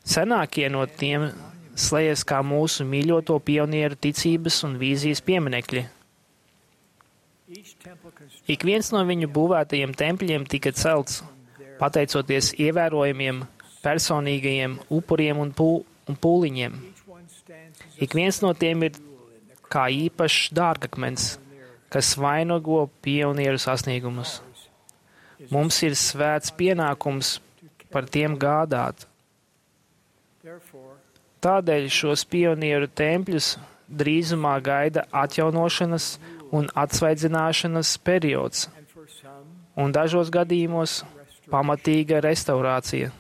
Senākie no tiem slējas kā mūsu mīļoto pionieru ticības un vīzijas pieminekļi. Ik viens no viņu būvētajiem tempļiem tika celts, pateicoties ievērojamiem personīgajiem upuriem un, pū, un pūliņiem. Ik viens no tiem ir kā īpašs dārgakmens, kas vainago pionieru sasniegumus. Mums ir svēts pienākums par tiem gādāt. Tādēļ šos pionieru tempļus drīzumā gaida atjaunošanas un atsvaidzināšanas periods, un dažos gadījumos pamatīga restaurācija.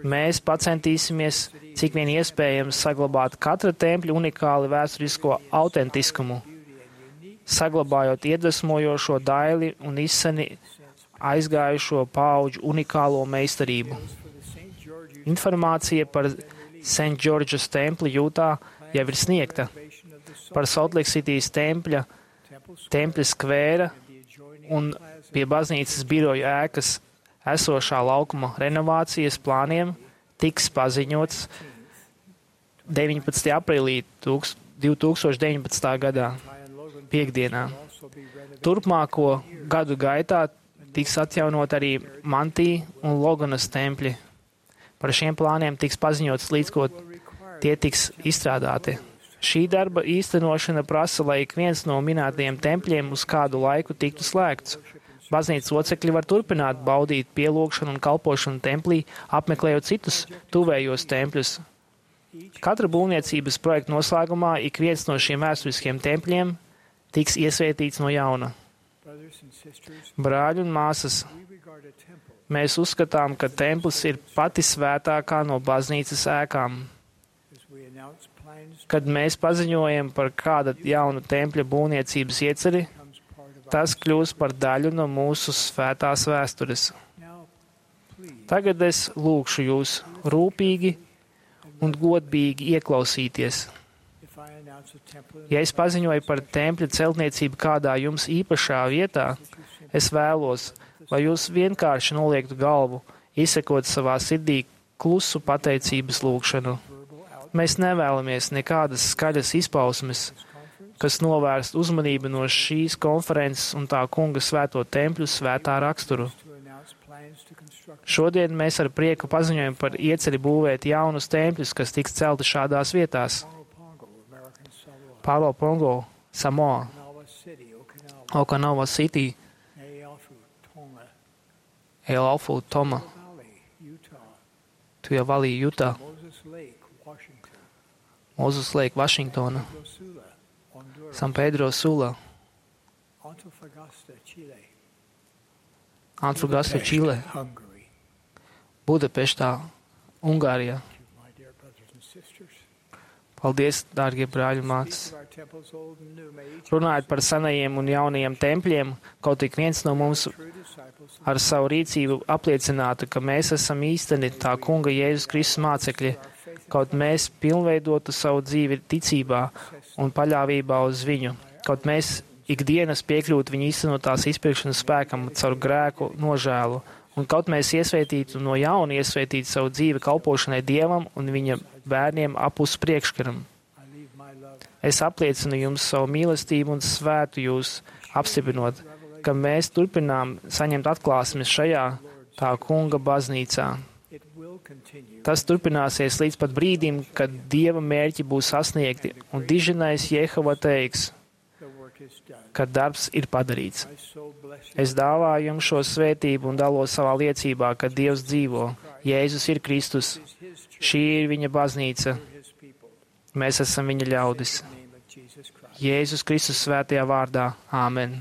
Mēs pacentīsimies, cik vien iespējams, saglabāt katra tempļa unikāli vēsturisko autentiskumu, saglabājot iedvesmojošo daili un izseni aizgājušo paudžu unikālo meistarību. Informācija par Saint George's templi Jūtā jau ir sniegta, par Salt Lake City's tempļa, tempļa skvēra un pie baznīcas biroju ēkas esošā laukuma renovācijas plāniem tiks paziņots deviņpadsmitajā aprīlī divi tūkstoši deviņpadsmitā gadā, piekdienā. Turpmāko gadu gaitā tiks atjaunot arī Mantī un Loganas tempļi. Par šiem plāniem tiks paziņots, līdz ko tie tiks izstrādāti. Šī darba īstenošana prasa, lai ik viens no minētajiem tempļiem uz kādu laiku tiktu slēgts. Baznīcas locekļi var turpināt baudīt pielūgšanu un kalpošanu templī, apmeklējot citus tuvējos tempļus. Katra būvniecības projekta noslēgumā ik viens no šiem vēsturiskiem tempļiem tiks iesvētīts no jauna. Brāļi un māsas, mēs uzskatām, ka templis ir pati svētākā no baznīcas ēkām. Kad mēs paziņojam par kāda jauna tempļa būvniecības ieceri, tas kļūst par daļu no mūsu svētās vēstures. Tagad es lūgšu jūs rūpīgi un godīgi ieklausīties. Ja es paziņoju par tempļa celtniecību kādā jums īpašā vietā, es vēlos, lai jūs vienkārši noliektu galvu, izsekot savā sirdī klusu pateicības lūgšanu. Mēs nevēlamies nekādas skaļas izpausmes, kas novērst uzmanību no šīs konferences un tā kunga svēto tempļu svētā raksturu. Šodien mēs ar prieku paziņojam par ieceri būvēt jaunus tempļus, kas tiks celti šādās vietās. Palo Pongo, Samoa, Okinawa City, Elalfu, Toma, Tu jau valīji Jutā, Moses Lake, Washington, Mozus Lake, Vašingtona, Sula, Honduras, San Pedro Sula, Antofagasta, Chile, Antofagasta, Čile, Hungary. Budapeštā, Ungārijā. My dear brothers and sisters, Paldies, dārgie brāļi un māsas. of our temples, old and new, may each Runājot par senajiem un jaunajiem tempļiem, kaut ik viens no mums true disciples ar savu rīcību apliecinātu, ka mēs esam īsteni tā kunga Jēzus Kristus mācekļi, kaut mēs pilnveidotu savu dzīvi ticībā un paļāvībā uz viņu, kaut mēs ikdienas piekļūtu viņa īstenotās izpirkšanas spēkam caur grēku nožēlu, un kaut mēs iesvētītu no jauna iesvētītu savu dzīvi kalpošanai Dievam un viņa bērniem apus priekškaram. I leave my love. Es apliecinu jums savu mīlestību un svētu jūs, apstiprinot, ka mēs turpinām saņemt atklāsmes šajā tā kunga baznīcā. It will continue. Tas turpināsies līdz pat brīdim, kad Dieva mērķi būs sasniegti, un diženais Jehova teiks, The work is done. ka darbs ir padarīts. I so bless you. Es dāvāju jums šo svētību un dalos savā liecībā, ka Dievs dzīvo, Jēzus ir Kristus, Is his church, šī ir viņa baznīca, his people. mēs esam viņa ļaudis. In the name of Jesus Christ. Jēzus Kristus svētajā vārdā. Āmen.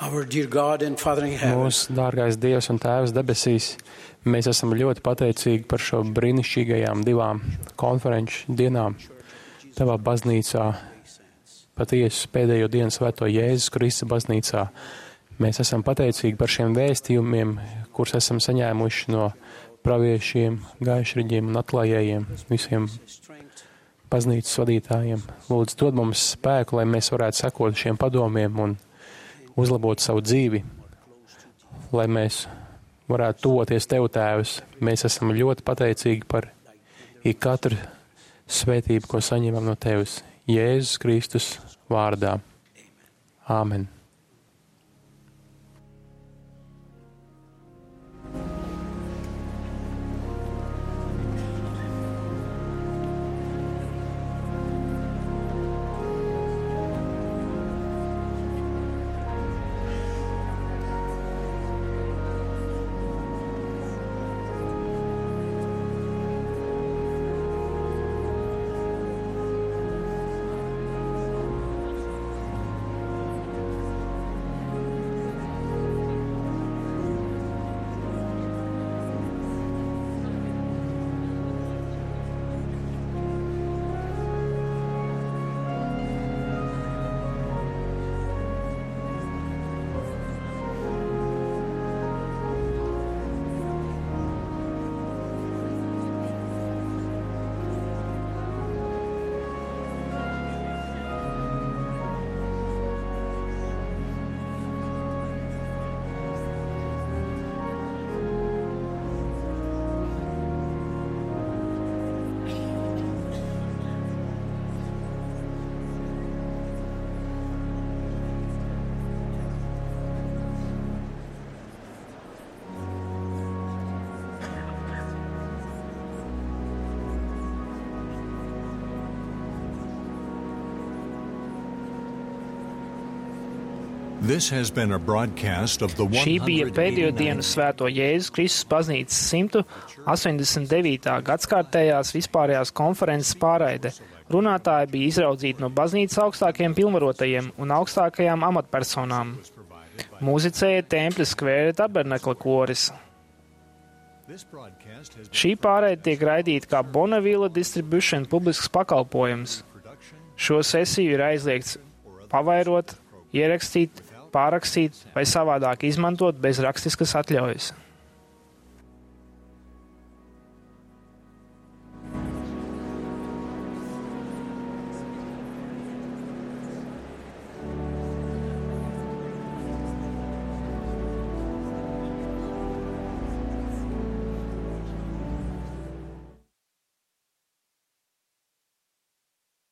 Our dear God and Father in heaven, Mūsu dārgais Dievs un Tēvs debesīs, mēs esam ļoti pateicīgi par šo brīnišķīgajām divām konferenču dienām Tavā baznīcā, patiesu pēdējo dienu svēto Jēzus Kristus baznīcā. Mēs esam pateicīgi par šiem vēstījumiem, kurus esam saņēmuši no praviešiem, gaišriģiem un atklājējiem, visiem baznīcas vadītājiem. Lūdzu, dod mums spēku, lai mēs varētu sekot šiem padomiem un uzlabot savu dzīvi, lai mēs varētu tuvoties Tev, Tēvs. Mēs esam ļoti pateicīgi par ikatru svētību, ko saņemam no Tevis. Jēzus Kristus vārdā. Āmen. This has been a broadcast of the Šī bija pēdējo dienu svēto Jēzus Kristus baznīcas simtu astoņdesmit devītā gadskārtējās vispārējās konferences pārraide. Runātāji bija izraudzīti no baznīcas augstākajiem pilnvarotajiem un augstākajām amatpersonām. Mūzicēja Tempļa skvēra tabernekla koris. Šī pārraide tiek raidīta kā Bonneville Distribution publisks pakalpojums. Šo sesiju ir aizliegts pavairot, ierakstīt, pārrakstīt vai savādāk izmantot bez rakstiskas atļaujas.